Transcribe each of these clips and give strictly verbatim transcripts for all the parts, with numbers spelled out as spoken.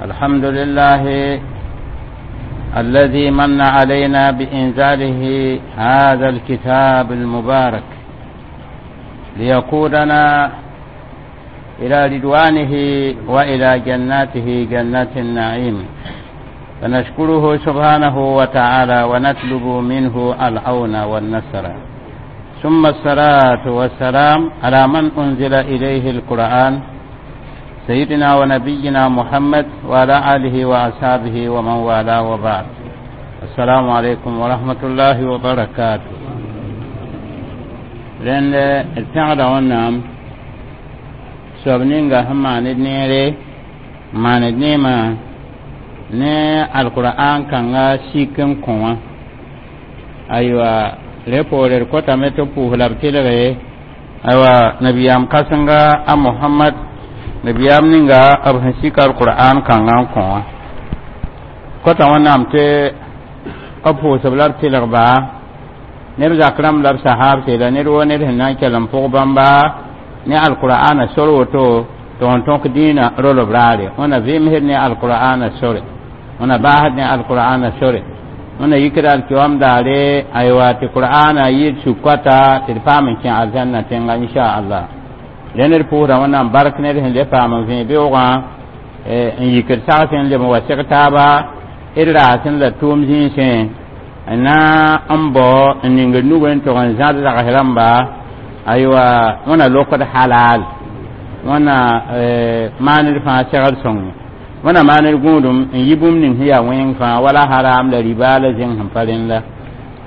الحمد لله الذي من علينا بإنزاله هذا الكتاب المبارك ليقودنا إلى رضوانه وإلى جناته جنات النعيم. فنشكره سبحانه وتعالى ونطلب منه العون والنصر. ثم الصلاة والسلام على من أنزل إليه القرآن سيدنا ونبينا محمد وعلى آله وأصحابه ومن والاه وبعد. السلام عليكم ورحمة الله وبركاته. لأن الفعل والنعم سبنينغا هم نيري ما ندنيما ne alquran kãnga sik n kõ wã aywa re poore d kotame tɩ pʋʋs la b tɩlge aywa nabiyaam kãsenga a Mohamad nabiyaam ninga b sẽn sik alquran kãngã n kõ wã kota wẽnnaam tɩ b pʋʋsb la b tɩlgba neb zak rãmb la b sahaab la ned woo ned sẽn na n kell n pʋg bãmba ne alqur'ana sor woto tɩ n tõk dĩinã rolb raare wẽna vɩmsd ne alqur'ana sore wẽna baasd ne alqur'ana sore wẽna yikd alkiwam daare aywa tɩ qur'ana yɩɩd suk-koata tɩ d paam n kẽ alzãnna tẽnga inchallah rẽnd d pʋʋsda wẽnnaam bark ned sẽn le paam n vẽ beoogã n yikd sagsẽ n leb n wa seg taaba d raasẽ la tʋʋm zĩisẽ n na n bao n ning d nugẽ n tog n zãd zags rãmba aywa wẽna lokd halal wẽna maaned fãa segd sõng wẽna maaned gũudum n yi bũmb ning sẽn yaa wẽng fãa wala haram la riba la zẽng sẽn pa rẽnda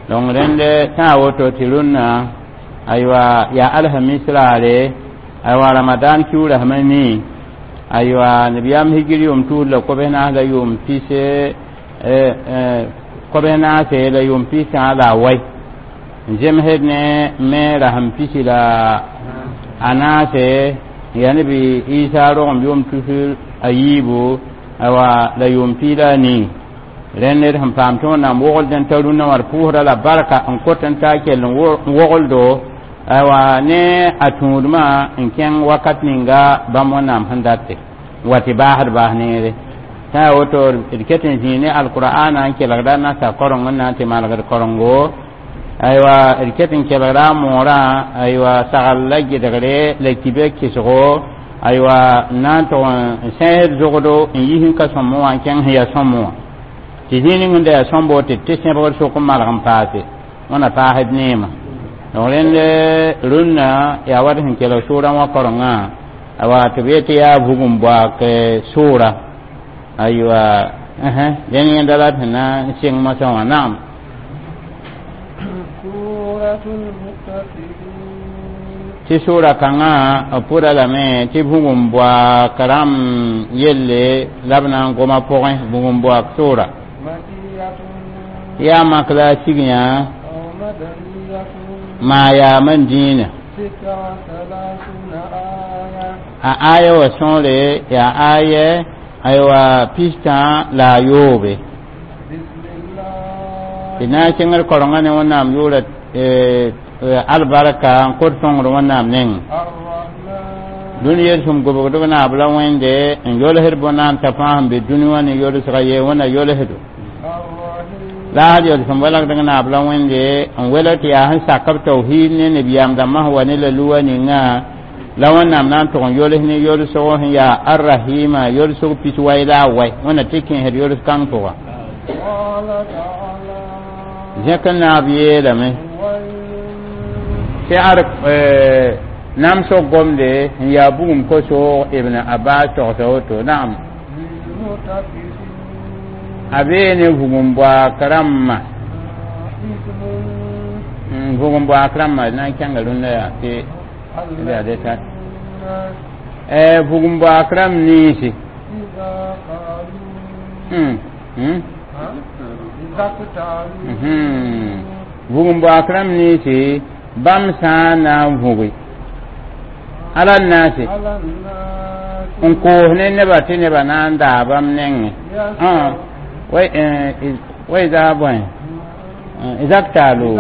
donc rẽnd tã woto tɩ rũnnã aywa yaa alhamis raare aywa ramadan kiuura sẽm nii aywa nabiyaam hijir yʋʋm tuud la kobs naas la yʋʋm pis kobs naase la yʋʋm pisã la a wai n zemsd ne me rasem pisi la a naase yaa nebi isa rogem yʋʋm tusr a yiibu aywa la yʋʋm piila a nii rẽnd ned sẽn paam tɩ wẽnnaam wogld n ta rũnnã wã d pʋʋsda la barka n kot n taa kell n wogldo aywa ne a tũudmã n kẽng wakat ninga bãmb wẽnnaam sẽn date n wa tɩ baasd baas neere tã yaa woto d ket n zĩig ne alqur'ana n kelgda nasa koreng n na n tɩ malgd korengo aywa d ket n kelgda a moorã aywa sagl la gɩdgre la kibe kɩsgo aywa n na n tʋg n sẽsd zogdo n yis n ka sõmb wã n kẽng sẽn yaa sõmb wã tɩ zĩig ning n da yaa sõmbo tɩ tɩ sẽbgd sʋk n malg n paase wẽna paasd neema donc rẽnd rũnnã yaa wat sẽn kelg sʋʋrã wã korengã awa tɩ b yet tɩ yaa vugum boak sʋʋra aywa dẽn yẽnda la d sẽn na n sɩng mosã wã naam tɩ sʋʋra kãngã b pʋda lame tɩ vugum boak rãmb yelle la b na n goma pʋgẽ vugum boak sʋʋra yaa mak la a sig yã maa yaam n dĩinã a aya wa sõore yaa aya aywa pistã la a yoobe tɩ na n kẽngd korengã ne wẽnnaam yʋʋra albarka n kot sõngr wẽnnaam neng dũni yelsem gobgdb naab la wẽnde n yolsd bõnaam t'a fãa sẽn be dũni wã ne yolsga ye wẽnna yolsdo la had yolsem walgdg naab la wẽnde n welg tɩ yaa sẽn sak b tawhiid ne nabiyaam dãmbã sẽn wa ne la luwa ninga la wẽnnaam na n tʋg n yols ne yolsg sẽn yaa arrahima yolsg pis wai la a wai wẽnna tɩ kẽesd yols kãng pʋga zẽk n naab yeelame tɩ ad namsg gomde n yaa bugum kosoog ibn abbas togsa woto naam a bee ne vugum boak rãmbã vugum boak rãmbã na n kẽnga rũndã yaa tɩ yaa deta vugum boak rãmb niisi vugum boak rãmb niisi bãmb sã n na n vʋge ala naase n koos ne neba tɩ nebã na n daa bãmb nengẽ wa ida bõe izaktaalu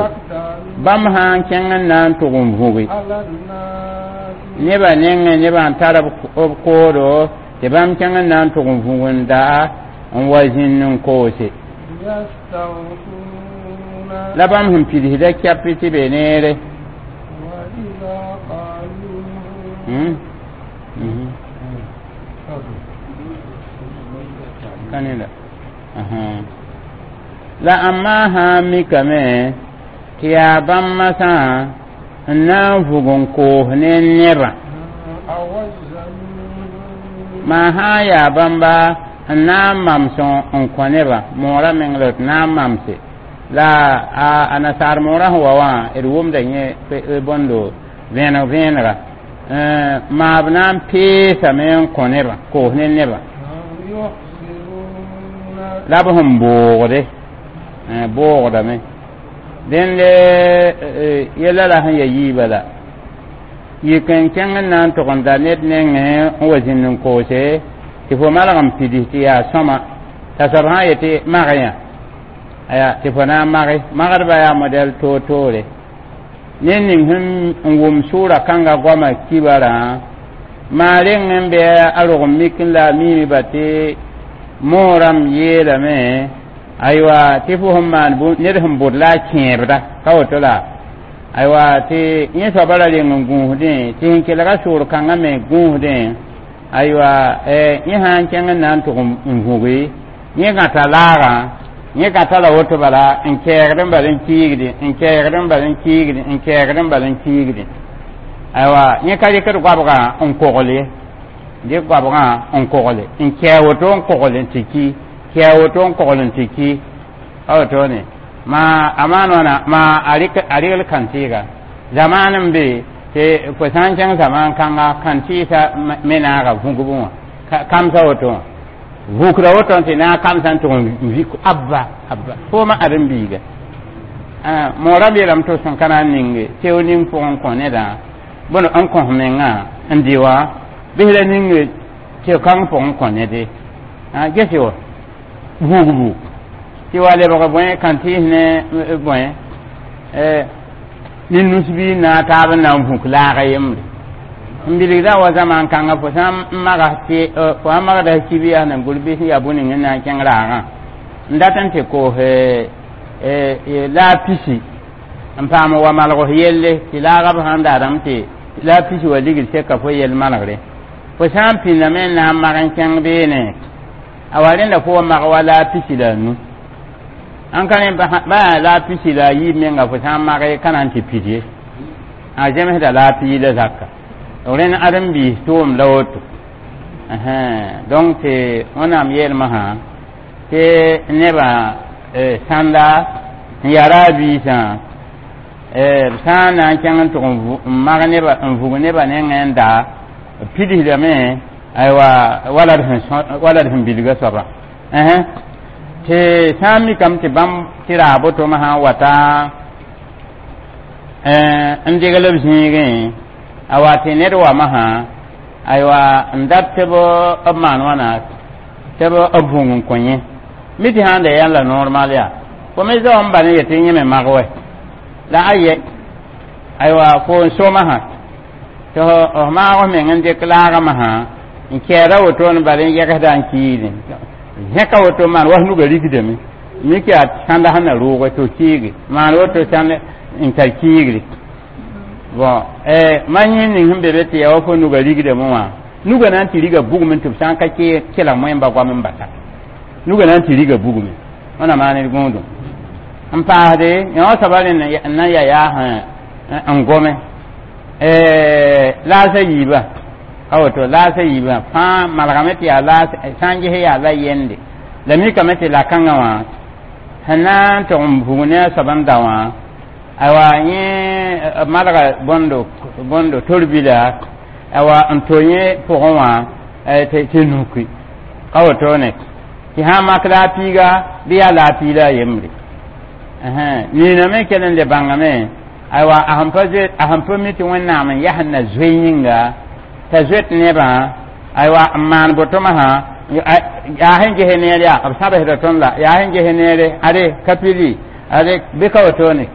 bãmb sã n kẽng n na n tʋg n vʋge nebã nengẽ nebã n tar b koodo Tɩ bãmb kẽng n na n tʋg n vũg n daa n wa zĩnd n koose. يستغفون. La bãmb sẽn pidsda kɛp tɩ be neere. وإذا قالوا Hmm? Mhm. Ka ne la. Aha. La amma sã n mikame tɩ yaa bãmb masã n na n vʋg n koos ne nebã. أو الزمين. Maa sã n yaa bãmba n na n mams n kõ nebã moorã meng la d na n mamse la a a nasaar moorã sẽn wa wã d wʋmda yẽ bõndo vẽeneg vẽenega maa b na n peesame n kõ nebã koos ne nebã. يحسرون. La b sẽn boogde boogdame dẽnd yɛla la sẽn ya yiibã la yik n kẽng n na n tʋg n da ned nengẽ n wa zĩnd n koose tɩ fo malg n pids tɩ yaa sõma t'a soab sã n yetɩ mag yã aya tɩ fo na n mage magdbã yaa modɛl toor-toore ned ning sẽn n wʋm sʋʋra kãnga goamã kibarã maa reng n bɩ a rog n mik n la a miime ba tɩ moorãmb yeelame aywa tɩ fo sẽn maan ned sẽn bʋd la a kẽebda ka woto la aywa tɩ yẽ soaba ra reng n gũusdẽ tɩ sẽn kelga sʋʋr kãngã me gũusdẽ aywa yẽ sã n kẽng n na n tʋg n vũgi yẽ gãta laagã yẽ gãta la woto bala n kɛɛgd n bal n kiigdi n kɛɛgd n bal n kiigdi n kɛɛgd n bal n kiigdi aywa yẽ ka rɩkd goabgã n kogl ye dɩk goabgã n kogle n kɛɛ woto n kogl n tɩ ki kɛɛ woto n kogl n tɩ ki a wotone ma a maan wãna ma a rɩgl kãn-tɩɩga zamaan n be tɩ fo sã n kẽng zamaan kãnga kãn-tɩɩsa me naaga vũgb wã kamsa woto wã vũkra woto tɩ naag kamsã n tʋg n vik abba abba fooma ãdem-biiga moorã yeelame tɩ sẽn ka na n ninge teo ning pʋgẽ n kõ nedã bõn n kõs mengã n dɩ wã bɩs la ninge tɩ kãng pʋgẽ kõ nede gese wa vugbu tɩ wa lebg bõe kãn-tɩɩs ne bõe ne nus-biig na taab n na n vũk laaga yembre n bilgda wa zaman kãnga fo sã n magas tɩ fo sã magda kib yaa nan gʋl bɩs n yaa bõe-ning n na n kẽng raagã n dat n tɩ koos laag pisi n paam wa malgs yelle tɩ laagã b sãn daadame tɩ laag pisi wa ligd seka fo yell malgre fo sã n pĩndame n na n mag n kẽng beene a wa rẽnda fo wa mag wa laag pisi la a nu an ka rẽ ba yaa laag pisi la a yiib menga fo sã n mage ka na n tɩ pid ye a zemsda laag piila zaka rẽnd ãdem-biis tʋʋm la woto donc tɩ wẽnnaam yeelmã tɩ nebã sãnda n yaa a biisã b sã n na n kẽng n tʋg n mag neba n vug nebã nengẽ n daa b pidsdame aywa wala d wala d sẽn bilga soabã tɩ sã n mikame tɩ bãmb tɩ raag boto-me sã n wata n degl b zĩigẽ a wa tɩ ned wame sã aywa n dat tɩ b b maan wãna tɩ b b vũng n kõ yẽ mi tɩ sãn da yãn la normal yaa fo me zao n ba ne yetɩ yẽ me mag wɛ la a yɛ aywa fo n soma sã tɩ f maag f meng n dɩk laagmã sã n kɛɛda wotone bala n yɛgsda n kiidẽ zẽka woto maan wa nuga rikdame mik yaa sãnda sẽn na rʋʋge tɩ f kiige maan woto sãnd n tar kiigre bon ma yẽ ning sẽn be be tɩ yaa wa fo nuga rigdame wã nuga na n tɩ riga bugme tɩ b sã n ka kelg moẽmba goam n basa nuga na n tɩ riga bugme wẽna maan d gũudum n paasde yõ soaba rẽnd n na n ya yaa n gome laasa yiibã a woto laasa yiibã fãa malgame tɩ yaa laas sã n ges yaa la yende la mikame tɩ la kãngã wã sẽn na n tʋg n vug ne a soab n da wã aywa yẽ malga bõndo bõndo tor-bila aywa n to yẽ pʋgẽ wã tɩ nuki ka wotone tɩ sã n mak la a piiga bɩ yaa la a piila a yembre nina me kell n le bãngame aywa a sẽn pa zoe a sẽn pa mi tɩ wẽnnaam n yaa sẽn na zoe yĩnga t'a zoet nebã aywa n maan boto-masã yaa sẽn ges neer yaa b sãbsda tõnd la yaa sẽn ges neere ade ka pili ade bɩ ka wotone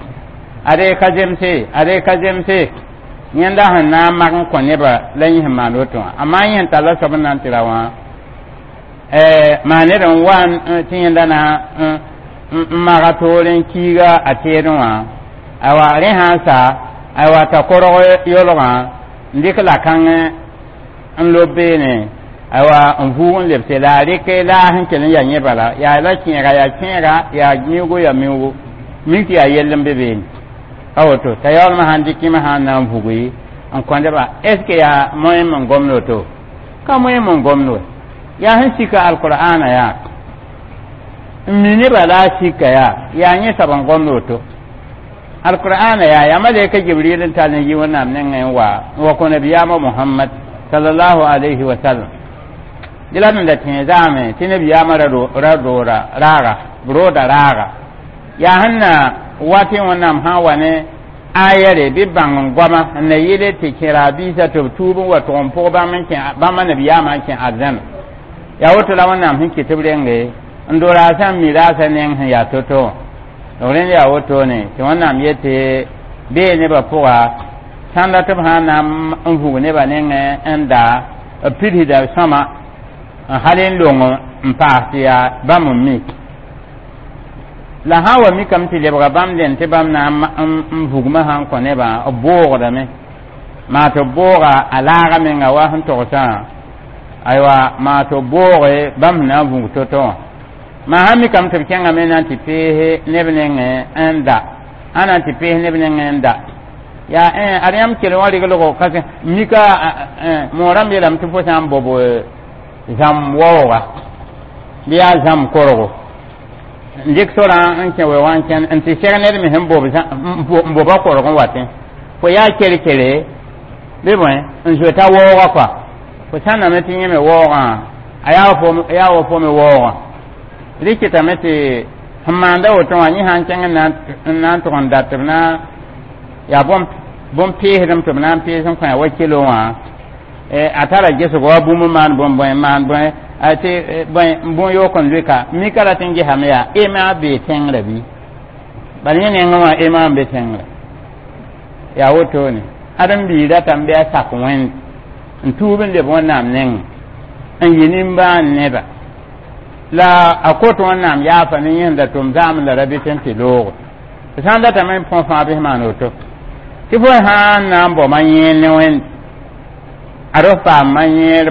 ade ka zemse ade ka zemse Yẽnda sẽn na n mak n kõ nebã la yẽ sẽn maan woto wã amaa yẽ sẽn talla soab n na n tɩ ra wã maa ned n wa tɩ yẽnda na n maga toore n kiiga a teedẽ wã aywa rẽ sã n sa aywa t'a korg yolgã n dɩk la-kãng n lob beene aywa n vʋʋg n lebse la a rɩk laas n kell n yaa yẽ bala yaa la kẽega yaa kẽega yaa miuugo yaa miuugo mik tɩ yaa yell n be beene a woto t'a yaoolmã sãn dɩk kẽmã sã n na n vugi n kõdba est ce que yaa moyen n gomd woto ka moyen n gomd we yaa sẽn sika alqur'ana yaa n mi nebã la a sika yaa yaa yẽ soab n gomd woto alqur'ana yaa yaa malɛka jibril n tall n yi wẽnnaam nengẽ n wa n wa kõ nabiyaamã muhammad sallallahu alayhi wa sallam dɩ la d da tẽ zaame tɩ nabiyaamã ra roora raaga b rooda raaga yaa sẽn na wa tɩ wẽnnaam sã n wa ne ayɛre bɩ bãng n goama n na yɩle tɩ kẽra biisã tɩ b tuub n wa tʋg n pʋg bãmb n kẽ bãmba nabiyaamã n kẽ arzãna yaa woto la wẽnnaam sẽn kɩt b renge n do raasã n mi raasã neng sẽn yaa to-to wã rẽnd yaa wotone tɩ wẽnnaam yetɩ bee nebã pʋga sãnda tɩ b sã n na n vug nebã nengẽ n daa b pidsda sõma n hal n long n paas tɩ yaa bãmb n mik la sã n wa mikame tɩ lebga bãmb dẽn tɩ bãmb na n vugmã sã n kõ nebã b boogdame maa tɩ b booga a laaga menga wa sẽn togsã aywa maa tɩ b booge bãmb sẽn na n vug to-to wã maa sã mikame tɩ b kẽngame na n tɩ peese neb nengẽ n da a na n tɩ pees neb nengẽ n da yaa ad yãmb kell wã reglgo ka mika moorãmb yeelame tɩ fo sã n bob zãmb waooga bɩ yaa zãmb korgo n dɩk sorã n kẽ we wã n kẽn n tɩ seg ned me sẽn bob n boba korg n watẽ fo yaa ker-kere bɩ bõe n zoeta waooga kɔa fo sãnname tɩ yẽ me waoogã a yaa wa fo me waoogã rɩ kɩtame tɩ sẽn maanda woto wã yẽ sã n kẽng n na n tʋg n dat tɩ b na yaa bõn-peesdem tɩ b na n pees n kõ wa kelo wã a tara gesgo wa bũmb n maan bõn bõe n maan bõe tɩ bõe n bũn yook n lʋɩka mika ra tɩ n gesame yaa ema bee tẽngrã bɩ bala yẽ nengẽ wã ema n be tẽngrã yaa wotone ad n bii ratame bɩ a sak wẽnd n tuub n leb wẽnnaam nengẽ n yɩ nimbãan neba la a kot wẽnnaam yaafa ne yẽnda da tʋm zaam la ra bɩ tɩ n tɩ loogo sã n datame n põs fãa bɩ maan woto tɩ fo sã n na n bao ma yẽer ne wẽnd ad f paam ma yẽer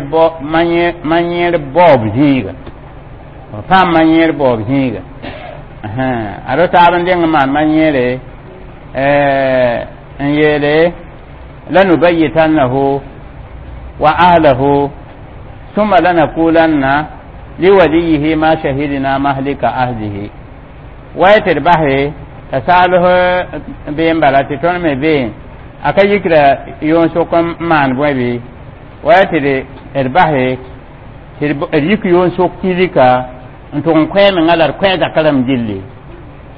baoob zĩiga f paam ma yẽer baoob zĩiga ad f taab n deng n maan ma yẽere n yeele lanubayitannahu wa ahlahu summa lanakulanna liwaliyihi ma shahidina mahlika ahlihi wa tɩ d base t'a saalf been bala tɩ tõnd me been a ka yikra yoon sʋk n maan bõe bɩ wa tɩ d base tɩ d yik yoon sʋk kilika n tʋg n koɛɛ menga la d koɛɛ zaka rãmb gilli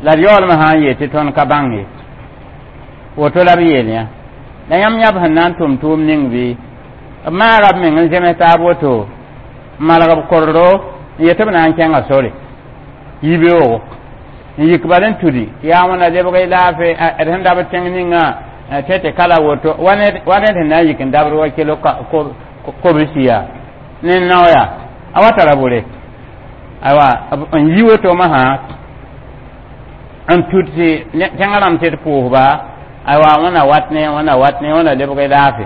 la d yaoolmã sã n yeel tɩ tõnd ka bãng ye woto la b yeel yã la yãmb yãb sẽn na n tʋm tʋʋm ning bɩ b maaga b meng n zems taab woto n malg b kordo n yet tɩ b na n kẽnga sore yibeoogo n yik bal n tudi tɩ yaa wẽna lebg y laafɩ d sẽn dabd tẽng ninga tɩ tɩ kala woto wa ned sẽn na n yik n dabd wa kilo kobs yaa ne nao yaa a wa tara bore aywa n yi woto masã n tud tɩ tẽngã rãmb tɩ d pʋʋsba aywa wẽna wat ne wẽna wat ne wẽna lebg y laafɩ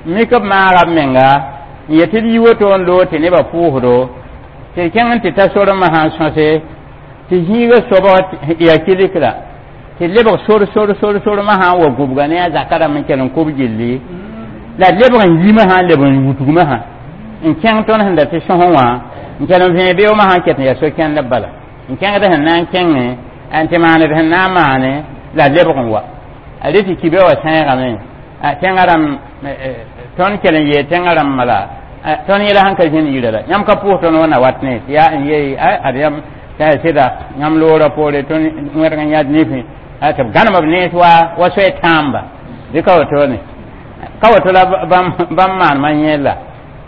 mik b maaga b menga n yet tɩ d yi woto n loog tɩ nebã pʋʋsdo tɩ d kẽng n tɩ ta sor masã n sõse tɩ zĩiga soabg yaa kilikra tɩ lebg sor sor sor sor masã n wa gũbga ne a zaka rãmb n kell n kʋb gilli la d lebg n yi masã n leb n wutg masã n kẽng tõnd sẽn da tɩ sõs wã n kell n vẽe beoog masã n ket n yaa so-kẽndb bala n kẽngd sẽn na n kẽngẽ n tɩ maaned sẽn na n maane la d lebg n wa a rɩ tɩ kibe wa sẽegame tẽngã rãmb tõnd kell n yeel tẽngã rãmb la tõnd yẽla sẽn ka zĩnd yirã la yãmb ka pʋʋs tõnd wẽnna wat ne tɩ yaa n yee ad yãmb t'a sɩda yãmb loorã poore tõnd wẽrg n yãd nifẽ tɩ b gãnem b nens wa wa soay tãamba bɩ ka wotone ka woto la bãmb maan ma yẽla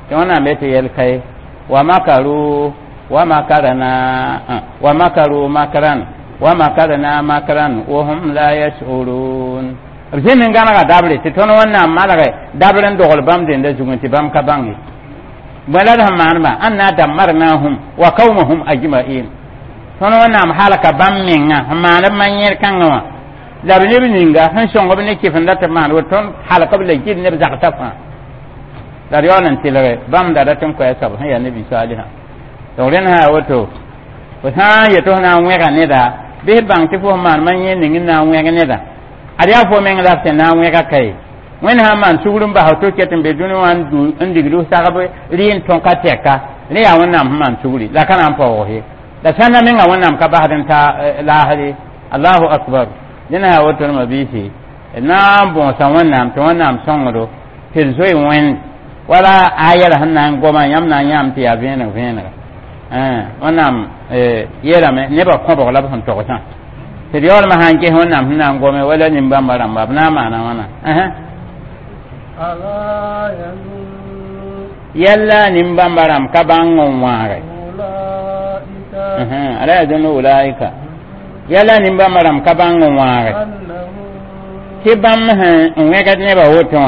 tɩ wẽnnaam be tɩ yɛl kaye wa makaru wa makarna wa makaru makran wa makarna makran wa hum la yash'urun. B zẽnd n gãnega dabre tɩ tõnd Wẽnnaam malge dabr n dogl bãmb dẽnda zugẽ tɩ bãmb ka bãng ye. Bõe la d sẽn maanema anna dammarnahum wa qawmahum ajma'in. Tõnd Wẽnnaam halka bãmb menga sẽn maan b ma-yẽer kãngã wã la b neb ninga sẽn sõng b ne kɩfenda tɩ b maan woto tõnd halk b la gil neb zagsã fãa. La d yaool n tɩlge bãmb da rat n koɛɛ soab sẽn yaa nabi Saalihã. Donc rẽnd sã yaa woto fo sã n yet tɩ f na n wẽga neda bɩ f bãng tɩ fo sẽn maan ma-yẽer ning n na n wẽg neda ad yaa fo meng la f tɩ na n wẽga ka ye. Wẽnd sã n maan sugr n bas to ket n be dũni wã n digd f sagb rɩ n tõka tɛka rẽ yaa Wẽnnaam sẽn maan sugri la ka na n paoog ye la sãnda menga Wẽnnaam ka basd n ta laasr ye. Allahu akbar. Dẽna yaa woto ma biisi na n bõosa Wẽnnaam tɩ Wẽnnaam sõngdo tɩ d zoe Wẽnd wala aya la sẽn na n goma yãmb na n yãam tɩ yaa vẽeneg vẽenega. Wẽnnaam yeelame nebã kõbg la b sẽn togsã tɩ d yaoolmã sã n ges Wẽnnaam sẽn na n gome wala nin-bãmba rãmba b na n maana wãna. Yɛlla nin-bãmba rãmb ka bãng n wãage ala yazunnu ulaika yɛlla nin-bãmba rãmb ka bãng n wãage tɩ bãmb sẽn n wẽgd nebã woto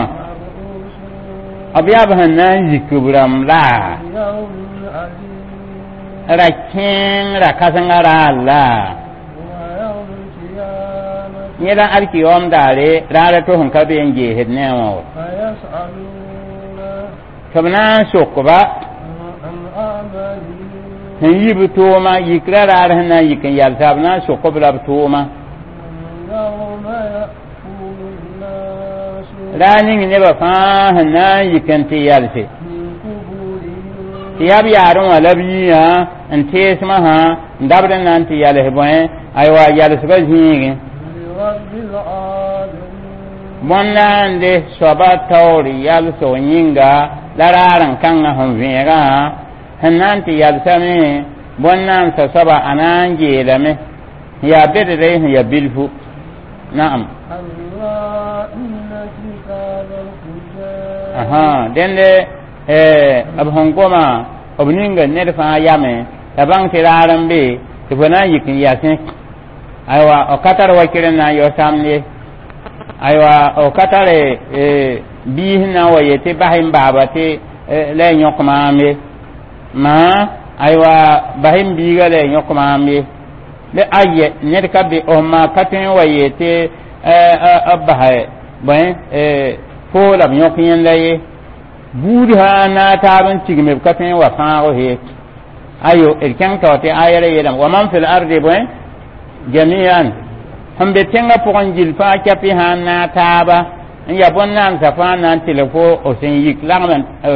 wã b yaa b sẽn na n yik b rãmb la ra kẽeng ra kãsenga raar la yẽ la alkiyoom daare raara tɩ sẽn ka be n geesd ne a wã wa tɩ b na n sokba sẽn yi b tʋʋma yikra raar sẽn na n yik n yalsa b na n sok b la b tʋʋma raar ning nebã fãa sẽn na n yik n tɩ yalse tɩ yaa b yaarẽ wã la b yĩyã n teesmã sã n dabd n na n tɩ yals bõe aywa yalsbã zĩigẽ bõnda n de soaba taoor yalsg yĩnga la raar n kãngã sẽn vẽegã sẽn na n tɩ yalsame bõn-naamsã soaba a na n geelame sẽn yaa bedre sẽn yaa bilfu. Naam. Dẽnde b sẽn goma b ninga ned fãa yame la bãng tɩ raar n be tɩ fo na n yik n yasẽ aywa b ka tar wakir n na n yao samd ye aywa b ka tare biis n na n wa yetɩ bas n baaba tɩ la y yõk maam ye maa aywa bas n biiga la y yõk maam ye la ayɛ ned ka be f maa ka tõe n wa yetɩ b bas bõe fo la b yõk yẽnda ye buud sã n na a taab n tigme b ka tõe n wa fãag ye ayo d kẽng tao tɩ aya ra yeelame wa man fil ardi bõe jamian sẽn be tẽngã pʋgẽ gil fãa kɛpɩ sã n na a taaba n yaa bõn-naamsã fãa na n tɩlg fo f sẽn yik lagm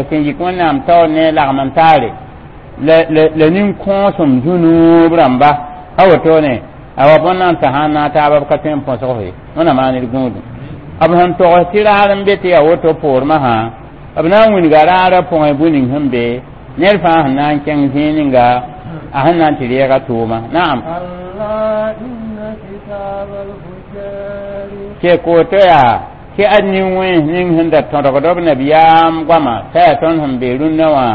sẽn yik Wẽnnaam taoor ne lagm n taare la nin-kõosem zũnuub rãmba a wotone awa bõn-naamsã sã n na a taaba b ka tõe n põsg ye Wẽnnaam maan d gũudum b sẽn togs tɩ raar n be tɩ yaa woto poormã sã b na n wilga raarã pʋgẽ bũ ning sẽn be ned fãa sẽn na n kẽng zĩig ninga a sẽn na n tɩ reega tʋʋma. Naam. Tɩ koto yaa tɩ ad nin-wẽns ning sẽn da tõdgd b nabiyaam goama t'a yaa tõnd sẽn be rũnnã wã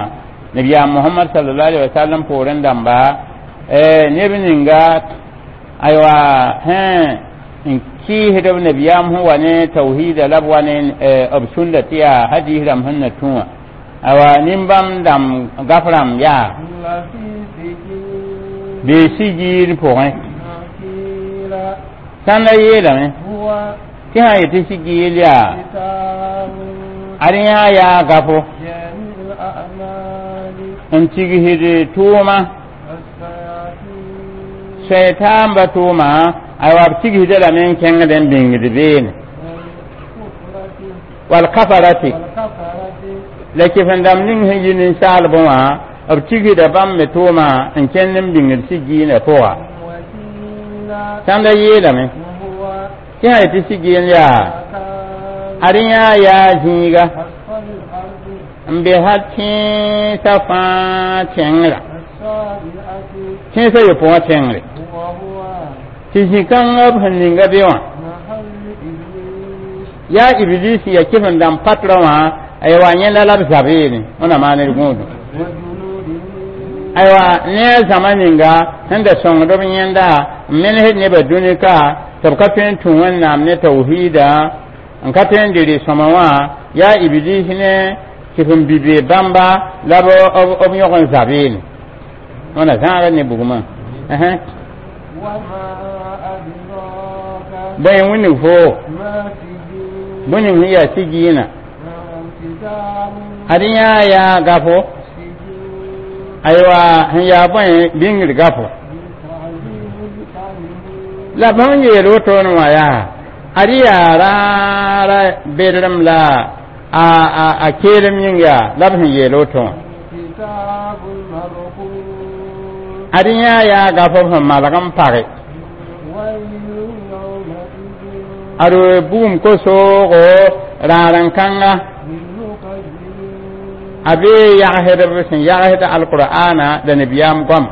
nabiyaam Mohamad sallallahu alaihi wasallam poorẽ dãmba neb ninga aywa sẽn n kɩɩsd b nabiyaam sẽn wa ne tawhiida la b wa ne b sũnda tɩ yaa hadis rãmb sẽn na tũ wã awa nin-bãmb dãmb gaf rãmb yaa bee sigiir pʋgẽ sãnda yeelame tɩ sã n yetɩ sigiil yaa ad yãa yaa gafo n tigsd tʋʋma soɛtaamba tʋʋma aywa b tigsda lame n kẽngd n bĩngd beene wal kafarati la kɩf-n-dãmb ning sẽn yi ninsaalbẽ wã b tigsda bãmb me tʋʋma n kẽnd n bĩngd sigiinã pʋga sãnda yeelame tɩ sã yetɩ sigiin yaa ad yãa yaa zĩiga n be hal tẽensã fãa tẽngrã tẽnsã yopoe wã tẽngre tɩ zĩ-kãngã b sẽn ninga be wã yaa Iblis ya kɩf-n-dãmb patrõ wã aywa yẽnda la b zabeene Wẽnnaam maan d gũudum aywa ne a zãma ninga sẽn da sõngd b yẽnda n menesd nebã dũni ka tɩ b ka tõe n tũ Wẽnnaam ne tawhiida n ka tõe n dɩ rɩ-sõma wã yaa iblis ne kɩf n bi-bee bãmba la b b yõg n zabeene wãna zãagd ne bugmã. وما أدراك Bõe wilg foo ما سجين bõe ning sẽn yaa sigiinã كتاب ad yãa yaa gafo سجين aywa sẽn yaa bõe bĩngr gafo تعذيب الكريم la bãmb yeel wotone wã yaa ad yaa raara bedrem la a a a keelem yĩnga la b sẽn yeel woto wã كتاب مرقوم ad yãa yaa gafo sẽn malg n page ويل يومئذ ad bugum kosoogo raar n kãnga للمكذبين a bee yagsdb sẽn yagsd alqur'ana la nabiyaam goam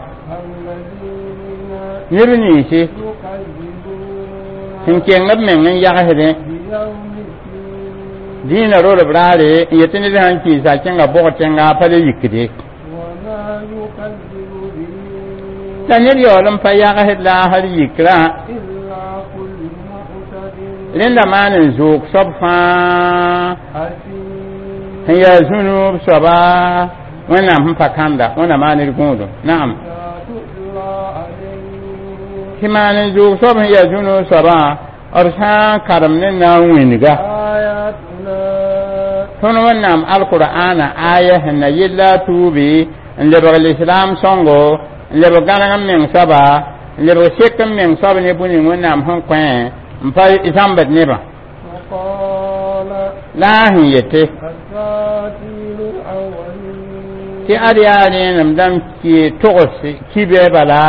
الذين neb ninsi يكذبون sẽn keng b meng n yagsdẽ بيوم الدين dĩinã rolb raare n yetɩ ned sãn kɩɩsa kẽnga bʋg tẽnga pa le yikde وما يكذب به la ned yaool n pa yagsd laasr yikrã إلا كل معتد rẽnda maan n zoog soab fãa أثيم sẽn yaa zũnub soaba Wẽnnaam sẽn pa kãnda Wẽnnaam maan d gũudum naam إذا تتلى عليه tɩ maan n zoog soab sẽn yaa zũnub soabã b sã n karem ne na n wĩnga آياتنا tõnd Wẽnnaam alqur'ana aya sẽn na yella a tuubi n lebg lislaam sõngo n lebg gãneg n meng soaba n lebg sek n meng soab ne bũ ning Wẽnnaam sẽn kõ n pa zãmbd nebã وقال la a sẽn yete أساطير الأولين tɩ ad yaa rẽenem dãmb ki togs kibe bala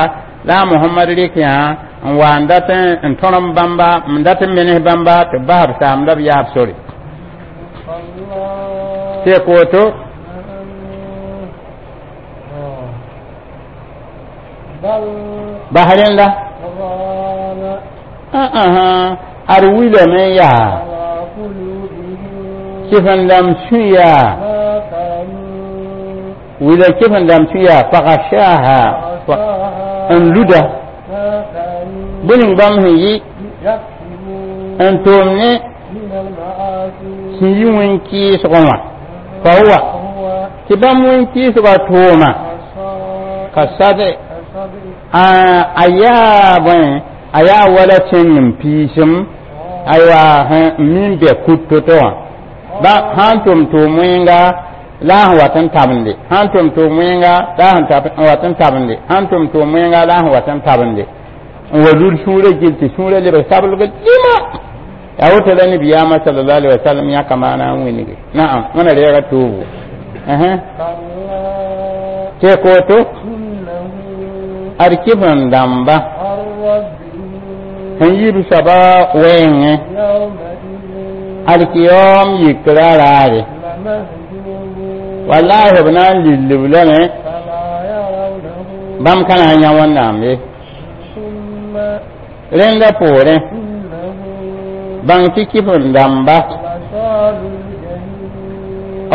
la a Mohamad rɩk yã n wa n dat n tõrem bãmba n dat n menes bãmba tɩ b bas b saam la b yaab sore الله tɩ koto بل bas rẽnda ران ad wilame yaa على قلوبهم kɩf n dãmb sũ yaa ما كانوا wila kɩf n dãmb sũ yaa fagashaha عصاها n luda ما كانوا bũe ning bãmb sẽn yɩ يكسبون n tʋʋm ne من المعاصي sẽn yi wẽn-kɩɩsgẽ wã fa huwa هو tɩ bãmb wẽn-kɩɩsgã tʋʋma كالصدع ka sad كالصدع a yaa bõe a yaa wala tẽng n piisem aywa n min bɛ kut to-to wã ba sãn tʋm tʋʋm wẽnga la a sẽn wat n tabende sãn tʋm tʋʋm wẽnga la a sẽn wat n tabende sãn tʋm tʋʋm wẽnga la a sẽn wat n tabende n wa lud sũurã gil tɩ sũurã lebg sablg dĩma yaa woto la nabiyaamã sallallahu alaihi wasallam yãka maana n wĩnge naam wẽna reega toobo كلا tɩ koto إنه ad kɩf n dãmba عن ربه sẽn yib soaba wɛɛngẽ يومئذ alkiyom yikra raare لمهجوبون wallahi b na n lillb lame فلا يرونه bãmb ka na n yã Wẽnnaam ye ثم rẽnda poorẽ إنه bãng tɩ kɩf n dãmba لصال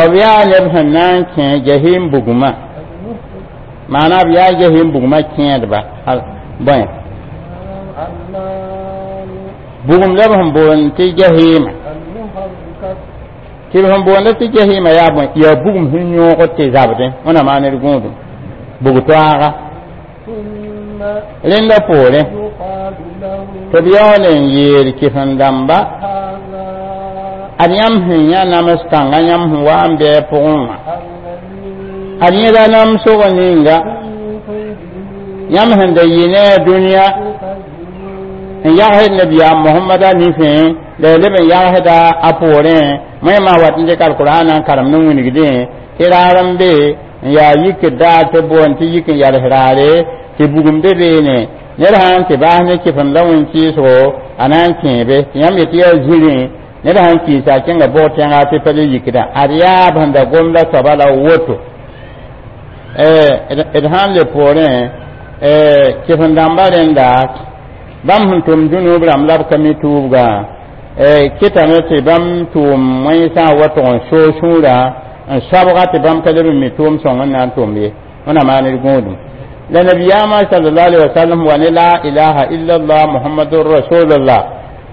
الجحيم b yaa neb sẽn na n kẽ jahim bugmã maana b yaa jahim bugmã kẽedba bõe النار bugum la b sẽn boond tɩ jahima المحركة tɩ b sẽn boonda tɩ jahima yaa bõe yaa bugum sẽn yõogd tɩ zabdẽ wẽna maan d gũudum bug toaaga ثم rẽnda poorẽ يقال له tɩ b yaool n yeel kɩf n dãmba هذا ad yãmb sẽn yã nams kãnga yãmb sẽn wa n bɩ a pʋgẽ wã الذي ad yẽda namsg ninga كنتم به yãmb sẽn da yɩ ne a dũniyã تكذبون n yagsd nabiyaam Mohamada nifẽ la ya leb n yagsda a poorẽ wẽmã wat n dɩk alqur'ana n karem ne wĩnigdẽ tɩ raar n be n yaa yikd daar tɩ boond tɩ yik n yals raare tɩ bugum be beene ned sã n tɩ baas ne kɩfem la wẽn-kɩɩsgo a na n kẽebe tɩ yãmb yetɩ yaa zirẽ ned sãn kɩɩsa a kẽnga bʋg tẽnga tɩ pa le yikdã ad yaa b sẽn da gom la soaba la woto d sãn le poorẽ kɩf n dãmba rẽnda bãmb sẽn tʋm dũnub rãmb la b ka mi tuubgã kɩtame tɩ bãmb tʋʋm wẽnsã wa tʋg n soog sũurã n soabga tɩ bãmb ka leb n mi tʋʋm sõng n na n tʋm ye wẽna maan d gũudum La nabiyaamã sallallahu alaihi wasallam wa ne la ilaha illallah muhammadur rasulullah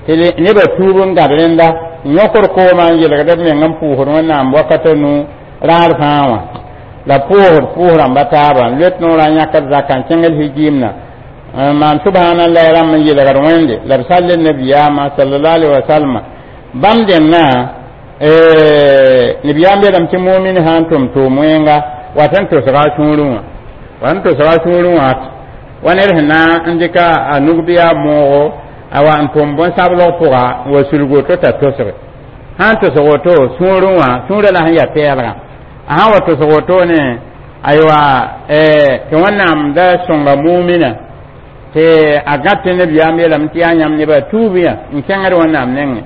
tɩ nebã tuub n gãd rẽnda n yõkd koomã n yelgd b meng n pʋʋsd Wẽnnaam wakata nu raar fãa wã la pʋʋsd pʋʋs rãmba taaba n loet noorã n yãkd zaka n kẽngd hijiimna n maan subhanallah rãmb n yelgd Wẽnde la b sall nabiyaamã sallallahu alaihi wasallam bãmb dẽndã nabiyaam yeelame tɩ mumin sã n tʋm tʋʋm wẽnga wat n tosga a sũurẽ wã wat n tosga a sũurẽ wã wa ned sẽn na n dɩka a nug bɩ a moogo a wa n tʋm bõn-sablg pʋga n wa sulg woto t'a tosge sã n tosg woto sũurẽ wã sũurã la sẽn yaa pɛɛlgã a sã n wa tosg woto ne aywa tɩ Wẽnnaam da sõnga mumina tɩ a gãd tɩ nabiyaam yeelame tɩ yaa yãmb nebã tuub yã n kẽngd Wẽnnaam nengẽ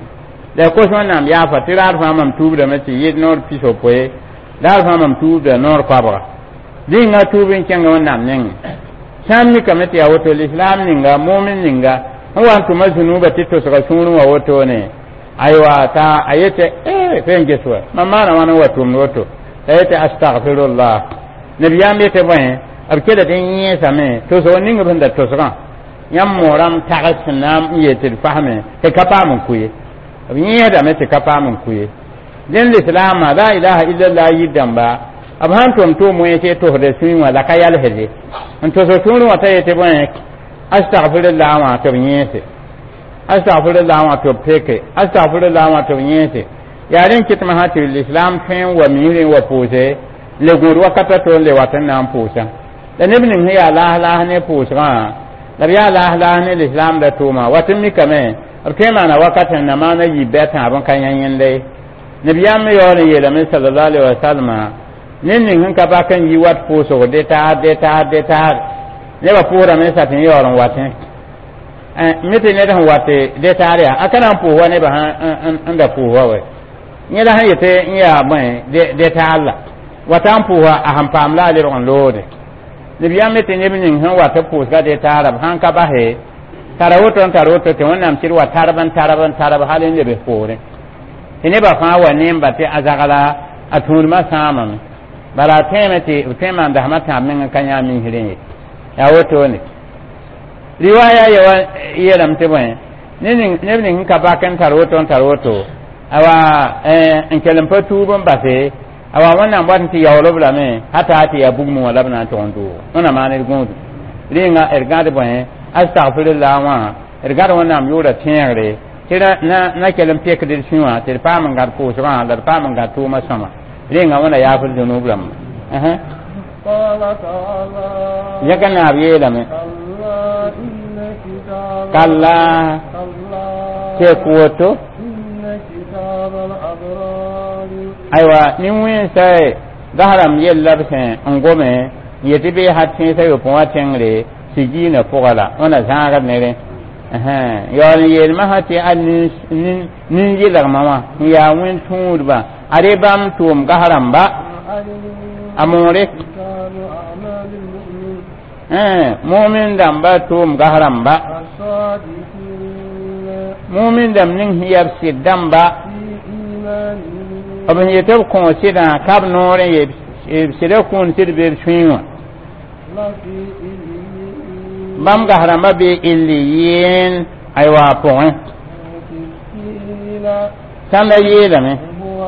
la kos Wẽnnaam yaafa tɩ raar fãa mam tuubdame tɩ yɩ noor pis-yopoe raar fãa mam tuubda noor koabga rĩnga tuub n kẽnga Wẽnnaam nengẽ sã n mikame tɩ yaa woto lislaam ninga mumin ninga n wa n tʋma zũnuubã tɩ tosga sũurẽ wã wotone aywa t'a a yetɩ e fe n ges wa mam maana wãn n wa tʋmd woto t'a yetɩ astagfirullah nabiyaam yetɩ bõe b kela tɩ n yẽesame tosg ning b sẽn da tosgã yãmb moorãmb tags sẽn na n yeel tɩ d fasme tɩ ka paam n kʋ ye b yẽesdame tɩ ka paam n kʋ ye dẽn lislaamã la ilaha illallah yir dãmba b sãn tʋm tʋʋm wẽns tosda sũyẽ wã la ka yalsde n tosg sũurẽ wã t'a yetɩ bõe astagfirullah wã tɩ b yẽese astagfirullah wã tɩ b peke astagfirullah wã tɩ b yẽese yaa rẽn kɩtmã sã tɩ lislaam tõe n wa misrẽ wa pʋʋse le gũud wakata to n le wat n na n pʋʋsã la neb ning sẽn yaa laas laas ne pʋʋsgã la b yaa laas laas ne lislaam da tʋʋma wat n mikame b tõe n maana wakat sẽn na maana yiib bɩ a tãab n ka yã yẽnda ye nabiyaam me yaool n yeelame sallallahu alaihi wasallam ned ning sẽn ka bak n yi wat pʋʋsg de taar de taar de taar nebã pʋʋsdame sat n yaool n watẽ mi tɩ ned sẽn wat de taar yaa a ka na n pʋʋs wa nebã n da pʋʋs wa wɛ yẽ la sẽn yetɩ n yaa bõe de taar la wata n pʋʋsa a sẽn paam la a lebg n loode nabiyaam me tɩ neb ning sẽn wat pʋʋsga de taara b sãn ka base tara woto n tar woto tɩ Wẽnnaam sɩd wa tarb n tarb n tarb hal n lebs poorẽ tɩ nebã fãa wa nemba tɩ a zagla a tũudmã sãamame bala a tẽeme tɩ b tõe n maan dasmã tãab meng n ka yã misrẽ ye yaa wotone riwaya yewa yeelame tɩ bõe neb ning sẽn ka bak n tar woto n tar woto awa n kell n pa tuub n base awa Wẽnnaam wat n tɩ yaool b lame hata tɩ yaa bugmẽ wã la b na n tʋg n doogo wẽnnaam maan d gũudu rĩnga d gãd bõe astagfirullah wã d gãd Wẽnnaam yʋʋra tẽegre tɩ na na kell n pekd d sũ wã tɩ d paam n gãd pʋʋsgã la d paam n gãd tʋʋmã sõma rĩnga Wẽnna yaafd zũnub rãmba قال تعالى yãka naab yeelame كلا إن كتاب كلا كلا teek woto إن كتاب الأبرار aywa nin-wẽnsa gasrãmb yella b sẽn n gome n yetɩ bee hat tẽesã yopẽ wã tẽngre sigiinã pʋga la wẽna zãagd ne rẽ yaool n yeelmã sã tɩ a nin-yɩlgmã wã n yaa wẽn-tũudbã ad bãmb tʋʋm gas rãmba علم a moore كتاب أعمال المؤمن mumin dãmba tʋʋm gas rãmba الصادقين mumin dãmb ning sẽn yaa b sɩd dãmba في إيمانهم b sẽn yetɩ b kõ sɩdã ka b noorẽ ye b sɩda kũun sɩd be b sũyẽ wã لفي عليين bãmb gas rãmba bee illiyin aywa pʋgẽ قيل sãnda yeelame هو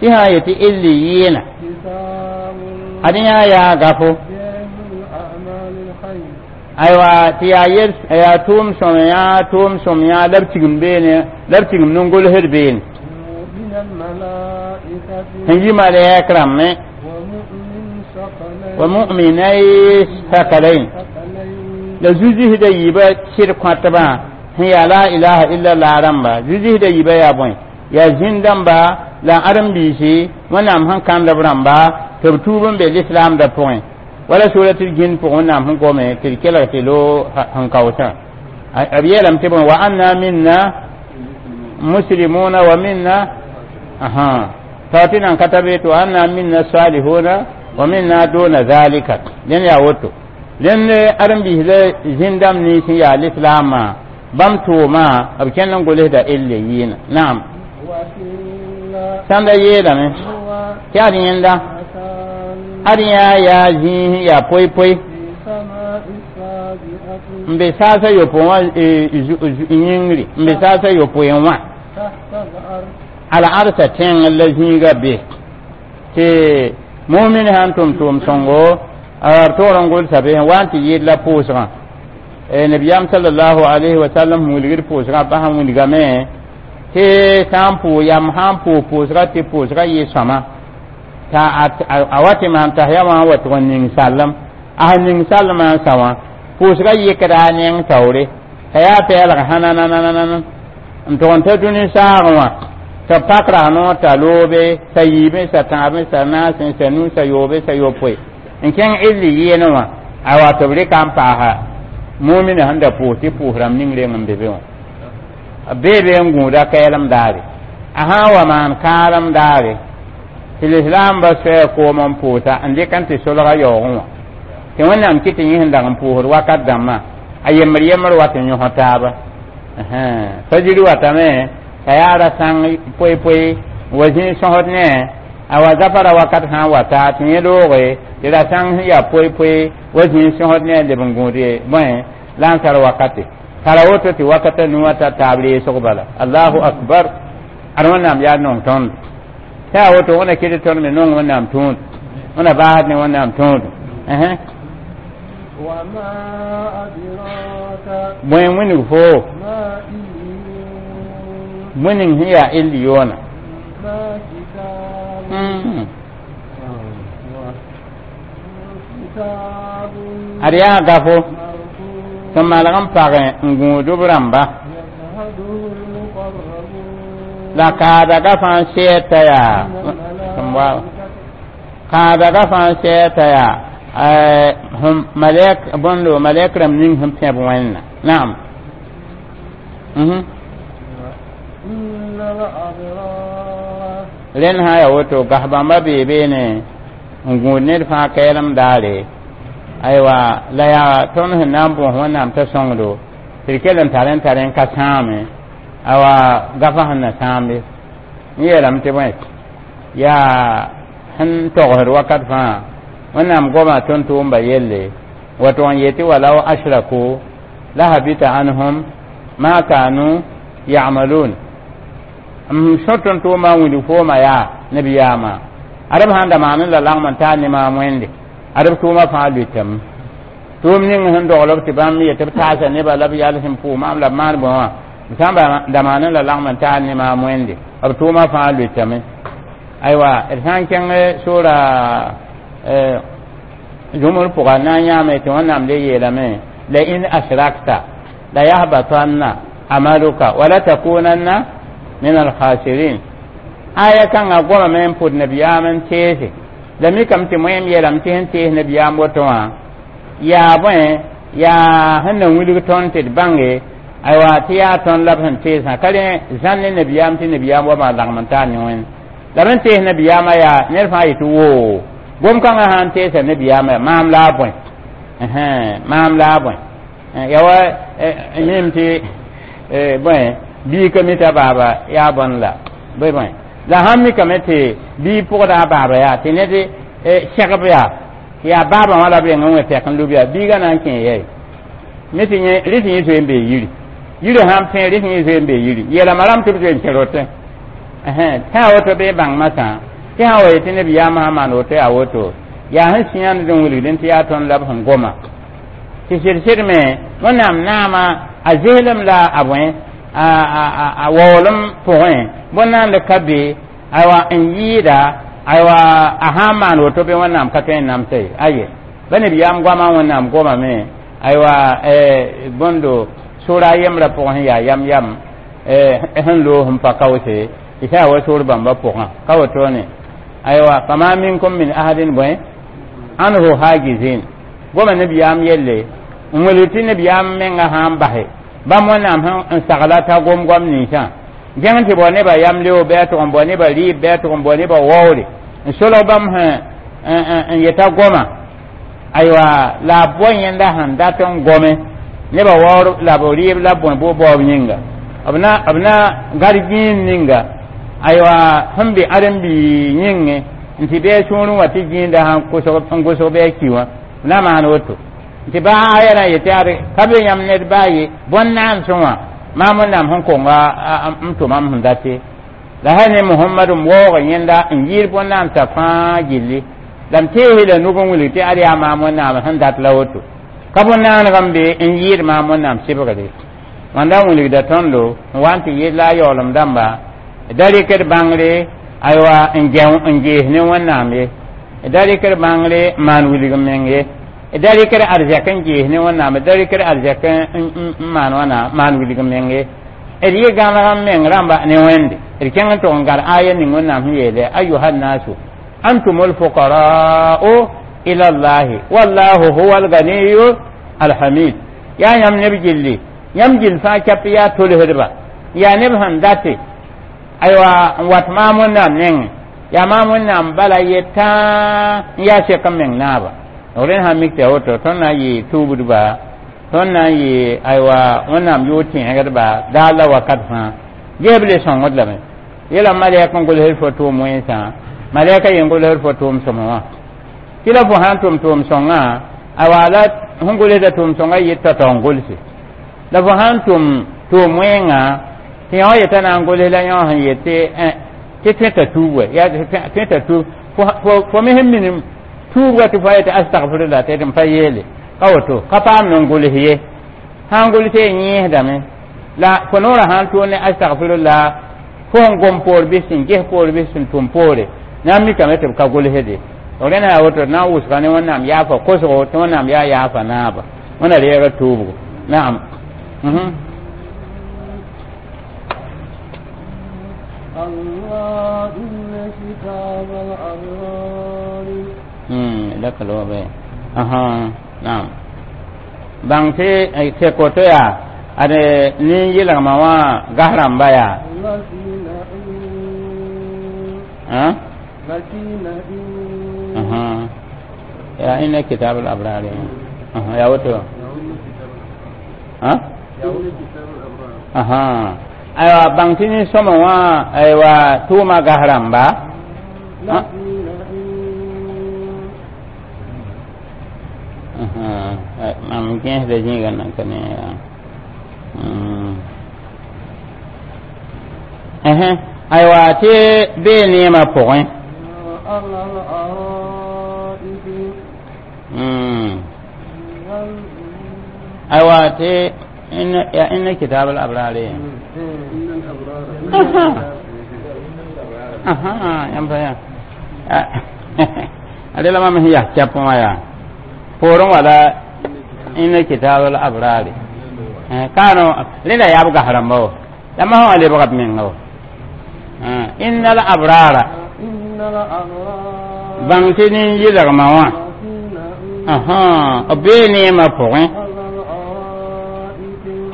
tɩ sã n yetɩ illiyiina كتاب ad yã yaa gafo جامع الأعمال الخير aywa tɩ yaa yel yaa tʋʋm sõm yã tʋʋm sõm yã la b tigim beene la b tigim nin-golsd beene من الملائكة sẽn yi malɛk rãmbẽ ومؤمن ثقلين wa mu'minai sakalain ثقلين la zuzisda yiibã sɩd kõtbã sẽn yaa la ilaha illallah rãmba zuzisda yiibã yaa bõe yaa zĩn-dãmba la ãdem-biisi Wẽnnaam sẽn kãnd b rãmba tɩ b tuub n be lislaamdã pʋgẽ wala suratul jin pʋgẽ Wẽnnaam sẽn gome tɩ d kelg tɩ lo sẽn kaoosã b yeelame tɩ bõe wa anna minna muslimuna wa minna aha tao tɩ nan ka ta be tɩ wa anna minna salihuna wa minna duna zalika dẽn yaa woto dẽnd ãdem-biis la zĩn-dãmb nins sẽn yaa lislaamã bãmb tʋʋma b kẽnd n golsda elle yɩɩna naam وقيل sãnda yeelame هو tɩ ad yẽnda مكان ad yã yaa zĩis yaa poy-poy في سماء n be saasa yopoe wã yĩngri n be saasa yopoe wã تحت العرش al-arsa tẽng la zĩiga be tɩ mumin sãn tʋm tʋʋm sõngo b toor n gʋlsa be wa n tɩ yɩɩd la pʋʋsgã nabiyaam salallahu alayhi wa sallam sẽn wilgd pʋʋsgã bas n wilgame tɩ sã n pʋʋ yam sã n pʋʋs pʋʋsga tɩ pʋʋsga yɩ sõma t'a a wa tɩ maan tas ya wã n wa tʋg n ning sallem a sẽn ning sallmã n sa wã pʋʋsga yɩkda a neng taoore t'a yaa pɛɛlg hãnanananana n tʋg n ta dũni saagẽ wã tɩ b pak ras noor t'a loobe t'a yiibẽ sa tãabẽ sa naasẽ sa nu sa yoobe sa yopoe n kẽng illi yɩɩne wã a wa tɩ b rɩka n paasa mumina sẽn da pʋʋs tɩ pʋʋs rãmb ning reng n be be wã b bee be n gũuda kɛɛlem daare a sã n wa maan kãadem daare tɩ lislaambã soɛɛ koom n pʋʋsa n dɩk n tɩ solga yaoogẽ wã tɩ wẽnnaam kɩ tɩ yẽ sẽn dag n pʋʋsd wakat dãmbã a yembr yembr wa tɩ yõs taaba fajiri watame t'a yaa ra sãng poe-poe wa zĩig sõsd ne a wa zafara wakat sã n wata tɩ yẽ looge tɩ ra sãng sẽn yaa poe-poe wa zĩig sõsd ne a leb n gũud bõe lansar wakate tara woto tɩ wakata nuwã ta taab reesg bala allahu akbar ad wẽnnaam yaa nong tõnd tɩ a woto wẽna kɩt tõnd me nong wẽnnaam tũud wẽna baasd ne wẽnnaam tũud وما أدراك bõe wilg foo ما إليون bõe sẽn yaa illiyoona ما كتاب كتاب ad yaa gafo مرقوم tɩ malg n pagẽ n gũud b rãmba يشهده المقربون la kaadaga fãa sɛɛ t'a yaa من sẽn wa الملائكة kaadaga fãa sɛɛ t'a yaa sẽn malɛk bõndo malɛk rãmb ning sẽn pẽb wẽnna naam إن الأبرار rẽnd sã yaa woto gas bãmba bee beene n gũud ned fãa kɛɛlem daare aywa la yaa tõnd sẽn na n bõs wẽnnaam t'a sõngdo tɩ d kell n tar n tar n ka sãame awa gafa sẽn na sãambe n yeelame tɩ bõe yaa sẽn togsd wakat fãa wẽnnaam goma tõnd-tʋʋmba yelle wa tʋg n yetɩ walaw ashraku la habita anhum ma kanu ya'malun m sõ tõnd-tʋʋmã n wilg fooma yaa nabiyaamã ad b sãn da maan n la lagm n taa ne maam wẽnde ad b tʋʋmã fãa lʋɩtame tʋʋm ning sẽn dogl b tɩ bãmb yetɩ b taasa nebã la b yal sẽn pʋʋ maam la b maan bõe wã b sã n da maan n la lagm n taa ne maam wẽnde b tʋʋmã fãa lʋɩtame aywa d sã n kẽng soora zũmr pʋga na n yãame tɩ wẽnnaam le yeelame la in ashrakta la yahbatanna amaluka wala takunanna min alkhasirin aya kãngã gomame n pʋd nabiyaam n teese la mikame tɩ moẽm yeelame tɩ sẽn tees nabiyaam woto wã yaa bõe yaa sẽn na wilg tõnd tɩ d bãnge aywa tɩ yaa tõnd la b sẽn teesã ka rẽ zãn ne nabiyaam tɩ nabiyaam wa maa lagm n taa ne wẽnd la b sẽn tees nabiyaamã yaa ned fãa yetɩ woo gom-kãngã sã n teesa nabiyaamã maam la a bõe maam la a bõe ya wa yẽm tɩ bõe bii ka mi t'a baaba yaa bõn la bõe bõe la sãn mikame tɩ bii pʋgda a baaba yaa tɩ ned segb yaa yaa baabã wã la b reng n wẽ pɛk n lub yaa biigã na n kẽ yɛy me tɩ yẽ rɩ tɩ yẽ zoe n bee yiri yiri sãn pẽ rɩ tɩ yẽ zoe n bee yiri yeelame rãmb tɩ b zoe n kẽ rotẽ tɩ a woto bee bãng masã tɩ sã wa yetɩ nabiyaamã sã maan woto yaa woto yaa sẽn sĩyãnd n wilgdẽ tɩ yaa tõnd la b sẽn goma tɩ sɩd-sɩd me wẽnnaam naama a zeelem la a bõe a waoolem pʋgẽ bõn-naand ka be aywa n yɩɩda aywa a sã n maan woto bɩ wẽnnaam ka tõe n namsa ye aye ba nabiyaam goamã wẽnnaam gomame aywa bõndo sʋra a yembrã pʋgẽ sẽn yaa yam yam sẽn loog sẽn pa kaoose tɩ sã wa soor bãmba pʋgã ka wotone aywa fama minkum min ahadin bõe anhu hagizin goma nabiyaam yelle n wilg tɩ nabiyaam menga sã n base bãmb wẽnnaam sẽn n sagla t'a gom goam ninsã gẽng tɩ bao nebã yam leo bɩ a tʋg n bao nebã rɩɩb bɩ a tʋg n bao nebã waoore n solg bãmb sẽn n yeta goma aywa la a bao yẽnda sẽn dat n gome nebã waoor la b rɩɩb la b bõe bʋ baoob yĩnga b na b na gad gĩin ninga aywa sẽn be ãdem-biig yĩngẽ n tɩ bɩ a sũurẽ wã tɩ gĩinda sãn n gʋsg bɩ a ki wã b na maan woto Tɩ baa aya na yetɩ ad ka be yãmb ned baa ye bõn-naamsẽ wã maam wẽnnaam sẽn konga n tʋmam sẽn date la sã ne Mohamad n waoog yẽnda n yɩɩd bõn-naamsã fãa gilli la m teese la nug n wilg tɩ ad yaa maam wẽnnaam sẽn dat la woto ka bõn-naaneg n be n yɩɩd maam wẽnnaam sɩbgre wãnda n wilgda tõndo n wa n tɩ yɩɩd la a yaoolem dãmba da rɩkd bãngre aywa n n gees ne wẽnnaam ye da rɩkd bãngre n maan wilg n meng ye da rɩkd arzɛk n gees ne wẽnnaam da rɩkd arzɛk n maan wãna maan wilg n meng ye d yɩ gãneg n meng rãmba ne wẽnde d kẽng n tʋg n gar aya ning wẽnnaam sẽn yeele ayuha nnasu antum alfuqara'u ila llahi wallahu huwa alganiyu alhamid yaa yãmb neb gilli yãmb gill fãa kɛp yaa tolsdba yaa neb sẽn date aywa n wat maam wẽnnaam nengẽ yaa maam wẽnnaam bala ye tãa n yaa sek n meng naaba rẽnd sã mik tɩ a woto tõnd na n yɩ tuubdba tõnd na n yɩ aywa wẽnnaam yʋʋr tẽegdba daar la wakat fãa geeb le sõngd lame yela malɛk n gʋlsd fo tʋʋm wẽnsã malɛka yen gʋlsd fo tʋʋm sõma wã tɩ la fo sã n tʋm tʋʋm sõngã aywa la sẽn gʋlsda tʋʋm sõngã yɩ tao-tao n gʋlse la fo sã n tʋm tʋʋm wẽnga tɩ yõ yetã na n gʋls la yõ sẽn yetɩ tɩ tõeta tuub wa yaa tõeta tuub fo me sẽn minim tuub wa tɩ fo yetɩ astagfirullah tɩ n pa yeele ka woto ka paam n gʋls ye sã n gʋls y yẽesdame la fo noorã sã n tʋʋg ne astagfirullah fo sẽn gom poor bɩ sẽn ges poor bɩ sẽn tʋm poore na n mikame tɩ b ka gʋlsde rẽna yaa woto na n wʋsga ne wẽnnaam yaafa kosgo tɩ wẽnnaam yaa yaafa naaba wẽna reega tuubgo naam. الله إن كتاب الأبرار لك الوضع أها نعم bãng tɩ tɩ koto yaa ad nin-yɩlgmã wã gas rãmba yaa لفي نعيم لفي نعيم yaa inna kitab al-abrar yaa woto aha aywa bãng tɩ nin-sõma wã aywa tʋʋma gas rãmba لفي نعيم mam gẽesda zĩiga nan ka ne aywa tɩ bee neemã pʋgẽ على الأرائك aywa tɩ ya inna kitab al-abrar إن الأبرار aha yãmb pa yaa ade la mam sẽn yaa kɛp wã yaa poorẽ wala inna kitab al-abrar kaano rẽnda yaa b gas rãmba wa la masã wã lebga b menga wa inna al-abrara إن الأبرار bãng tɩ nin-yɩlgmã wã لفي نعيم b bee neemã pʋgẽ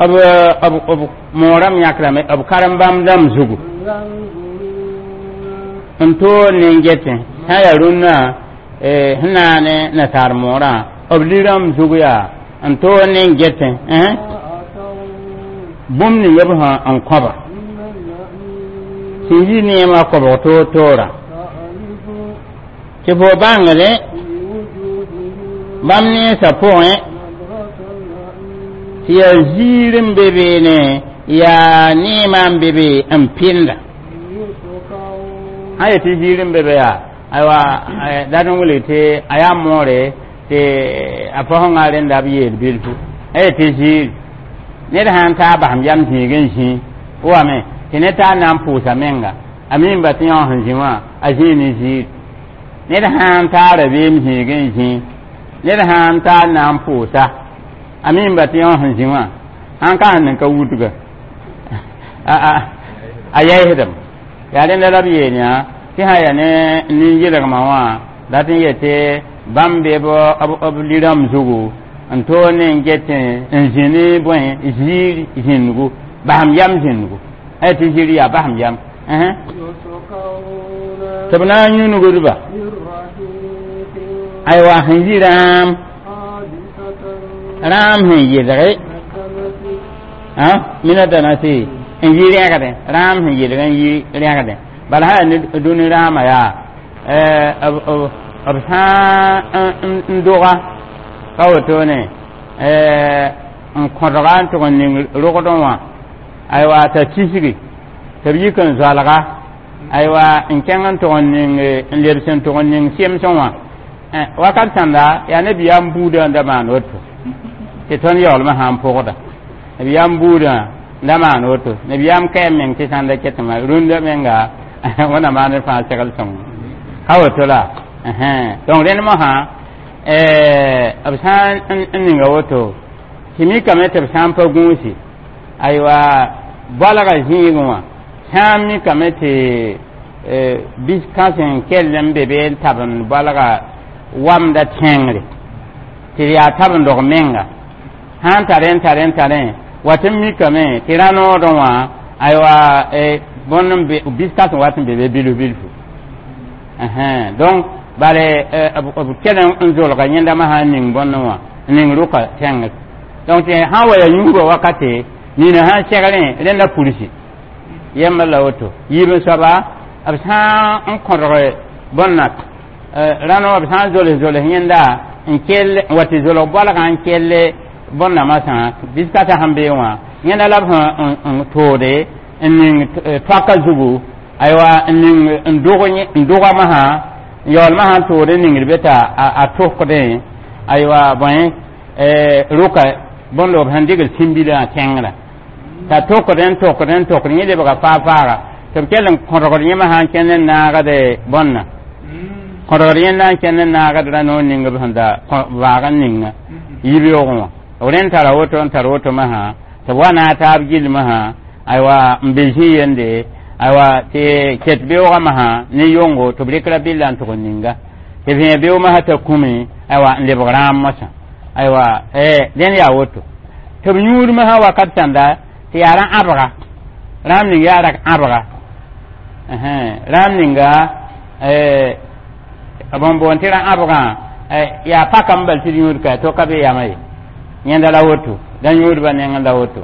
على الأرائك b b moorame yãkrame b karen-bãmb dãmb zugu ينظرون n toor nin-getẽ sã yaa rũnnã sẽn naane nasaar moorã b lirãmb zug yaa n toor nin-getẽ أتوا bũmb ning b sã n kõba من النعيم sẽn yi neemã kobg toor toora تعرف tɩ fo bãngre في وجوههم bãmb nensã pʋgẽ نضرة النعيم tɩ yaa ziir n be beene yaa neemã n be be n pɩnda يسقون sã yetɩ ziir n be be yaa aywa dat n wilg tɩ a yaa moore tɩ a fosẽngã rẽnda b yeel bilfu a yetɩ ziir ned sã n taa basem yam zĩig n zĩ wame tɩ ned taa na n pʋʋsa menga a mimba tɩ yõ sẽn zĩ wã a zĩig ne ziir ned sã n taa rabeem zĩig n zĩ ned sã n taa na n pʋʋsa a mimba tɩ yõ sẽn zĩ wã sãn ka sẽn ning ka wudga a yɛɛsdame yaa rẽnda la b yeel yã tɩ sã yaa ne nin-yɩlgmã wã dat n yetɩ bãmb be b lirãmb zugu n toor ne n get n zĩ ne bõe ziir zĩndgu basem yam zĩndgu a yetɩ ziir yaa basem yam يسقون tɩ b na n yũnugdba من رحيق aywa sẽn yi rãam حادثة rãam sẽn yɩlge نسمة mina danasi n yi rẽgdẽ rãam sẽn yɩlg n yi rẽgdẽ bala sã yaa ne dũni rãamã yaa b sã n doga ka wotone n kõdga n tʋg n ning rogdẽ wã aywa t'a tisgi tɩ b yik n zoalga aywa n kẽng n tʋg n ning n lebs n tʋg n ning sɩmsẽ wã wakat sãnda yaa nabiyaam buudã n da maan woto tɩ tõnd yaoolmã sã n pʋgda nabiyaam buudã n da maan woto nabiyaam kɛɛm meng tɩ sãn da ketmã rũndã menga wẽnna maan d fãa segl sõng ka woto la donc rẽnd mosã b sã n ninga woto tɩ mikame tɩ b sã n pa gũusi aywa boalga zĩigẽ wã sã n mikame tɩ bis kãsẽ n kell n be be n tabend boalga wamda tẽngre tɩ yaa tabendg menga sã n tare n tare n tare wa tɩ n mikame tɩ rã-noodẽ wã aywa bõnd n be bis kãsẽ wat n be be bilf bilfu donc bale b kell n zolga yẽndamã sã n ning bõndẽ wã n ning rʋka tẽngr donc tɩ sã n wa yaa yũubã wakate nina sã n segrẽ rẽnda pursi yembr la woto yiib n soaba b sã n kõdg bõnna rãno b sã n zols zols yẽnda n kell n wa tɩ zolg boalgã n kell bõnna masã biskasã sẽn bee wã yẽnda la b sẽn n toode n ning toaka zugu aywa n ning n dʋg n dʋga masã n yaool masã n tood n ningd be t'a a tʋkdẽ aywa bõe rʋka bõndo b sẽn dɩgl sĩmbilã tẽngrã t'a tʋkd n tʋkd n tʋkd yẽ lebga faa-faaga tɩ b kell n kõdgd yẽmã sã n kẽnd n naagd bõnna kõdgd yẽnda n kẽnd n naagd rã-noor ning b sẽn da vaag n ninga yibeoogẽ wã b rẽnd tara woto n tar woto masã tɩ b wa naag taab gill masã aywa n be zĩ yende aywa tɩ ket beoogã masã ne yongo tɩ b rɩkra bɩlla n tʋg n ninga tɩ b vẽe beoog masã t'a kũme aywa n lebg rãam mosã aywa dẽnd yaa woto tɩ b yũud masã wakat sãnda tɩ yaa rã-ãbga rãam ning yaa rak ãbga rãam ninga bõn boon tɩ rã-ãbgã yaa pakame bal tɩ d yũud ka to ka be yama ye yẽnda la woto da yũudbã nengẽ la woto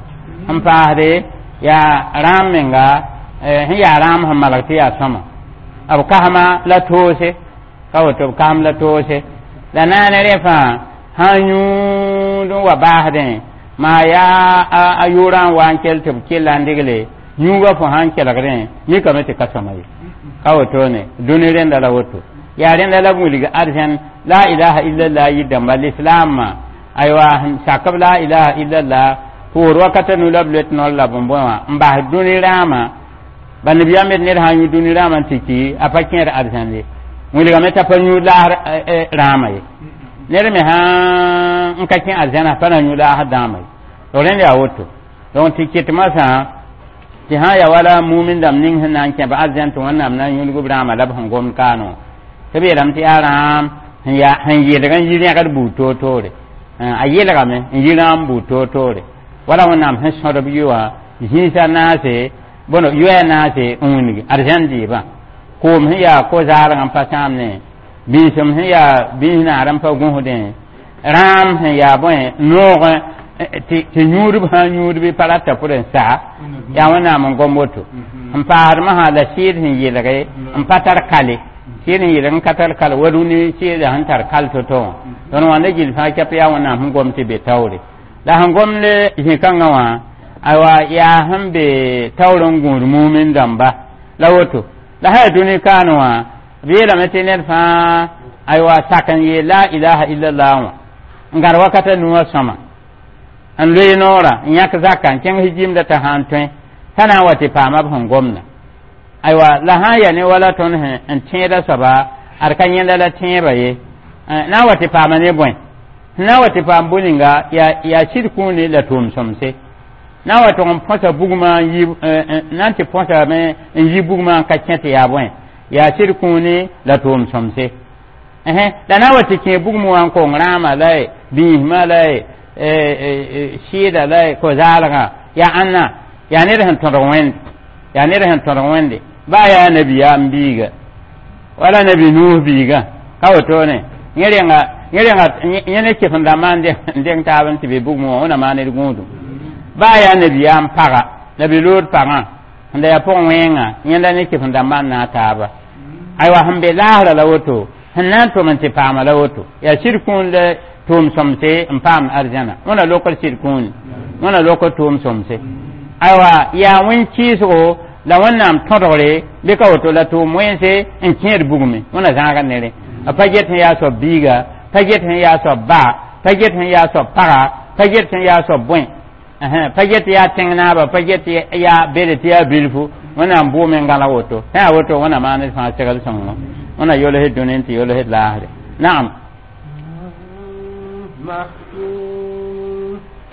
n paasde yaa rãam menga sẽn yaa rãam sẽn malg tɩ yaa sõma b kasma la toose ka woto b kasm la toose la naane rẽ fãa sã n yũud n wa baasdẽ maa yaa a yʋʋrã n wa n kell tɩ b kella n digle yũugã fo sã n kelgdẽ mikame tɩ ka sõma ye ka wotone dũni rẽnda la woto yaa rẽnda la b wilg arzẽn la ilaha illallah yɩ dãmba lislaamã aywa sẽn sakb la ilaha illallah poor wakata nu la b loet nor la bõn-bõe wã n bas dũni rãamã ba nabiyaam d ned sã n yũ dũni rãamã n tɩ ki a pa kẽer arzẽn ye wilgame t'a pa yũ laas rãamã ye ned me sã n ka kẽ arzẽna pa na yũ laas dãamã ye donc rẽnd yaa woto donc tɩ ket masã tɩ sã n ya wala mumin dãmb ning sẽn na n kẽb arzẽn tɩ wẽnnaam na n yũlg b rãamã la b sẽn gomd kaanẽ wã tɩ b yeelame tɩ yaa rãam sẽn yaa sẽn yelg n yi rẽgd buud toor-toore a yelgame n yi rãam buud toor-toore wala wẽnnaam sẽn sõdb yʋ wã zĩisa naase bõn yoɛɛ naase n wilgi arzẽn dɩɩbã koom sẽn yaa ko-zaalg n pa sãamne biisem sẽn yaa biis naar n pa gũsdẽ rãam sẽn yaa bõe noog tɩ yũudb sã n yũudb pa rata pʋd n sa yaa wẽnnaam n gom woto n paasd masã la sɩɩd sẽn yelge n pa tar kale sɩɩd sẽn yelg n ka tar kal wa rũni sɩɩda sẽn tar kal to-to wã tõnd wãnda gill fãa kɛp yaa wẽnnaam sẽn gom tɩ be taoore la sẽn gomd zĩ-kãngã wã aywa yaa sẽn be taoor n gũud mumin dãmba la woto la sã yaa dũni kaane wã b yeelame tɩ ned fãa aywa sak n yeel la ilaha illallah wã n gãd wakata nuwã sõma n loe noora n yãk zaka n kẽng hijimda t'a sã n tõe t'a na n wa tɩ paama b sẽn gomda aywa la sã n yaa ne wala tõnd sẽn n tẽeda soaba ad ka yẽnda la tẽebã ye na n wa tɩ paama ne bõe na n wa tɩ paam bũ-ninga yaa sɩd kũuni la tʋʋm-sõmse na n wa tʋg n põsa bugmã n yi na n tɩ põsame n yi bugmã n ka kẽ tɩ yaa bõe yaa sɩd kũuni la tʋʋm-sõmse la na n wa tɩ kẽ bugmã wã n kong rãamã la ye biismã la ye sɩɩda la ye ko-zaalgã yaa ãnna yaa ned sẽn tõdg wẽnd yaa ned sẽn tõdg wẽnde baa yaa nabiyaam biiga wala nabi nuus biigã ka wotone yẽ renga yẽ renga yẽ ne kef n dãmbã n deng taab n tɩ be bugmã wã wẽna maan d gũudum baa yaa nabiyaam paga nabi lood pagã sẽn da yaa pʋg wẽenga yẽnda ne kef n dãmbã n naag taaba aywa sẽn be laasra la woto Sẽn na n tʋm n tɩ paama la woto yaa sɩd kũun la tʋʋm sõmse n paam arzãna wẽna lokd sɩd kũuni wẽna lokd tʋʋm sõmse aywa yaa wẽn-kɩɩsgo la wẽnnaam tõdgre bɩ ka woto la tʋʋm wẽnse n kẽed bugme wẽna zãaga nere a pa get sẽn yaa soab biiga pa get sẽn yaa soab ba pa get sẽn yaa soab paga pa get sẽn yaa soab bõe pa get yaa tẽng naaba pa get yaa bede tɩ yaa bilfu wẽnnaam bʋʋme n gãla woto sã yaa woto wẽna maaned fãa segl sõngo wẽna yolsd dũni n tɩ yolsd laasre naam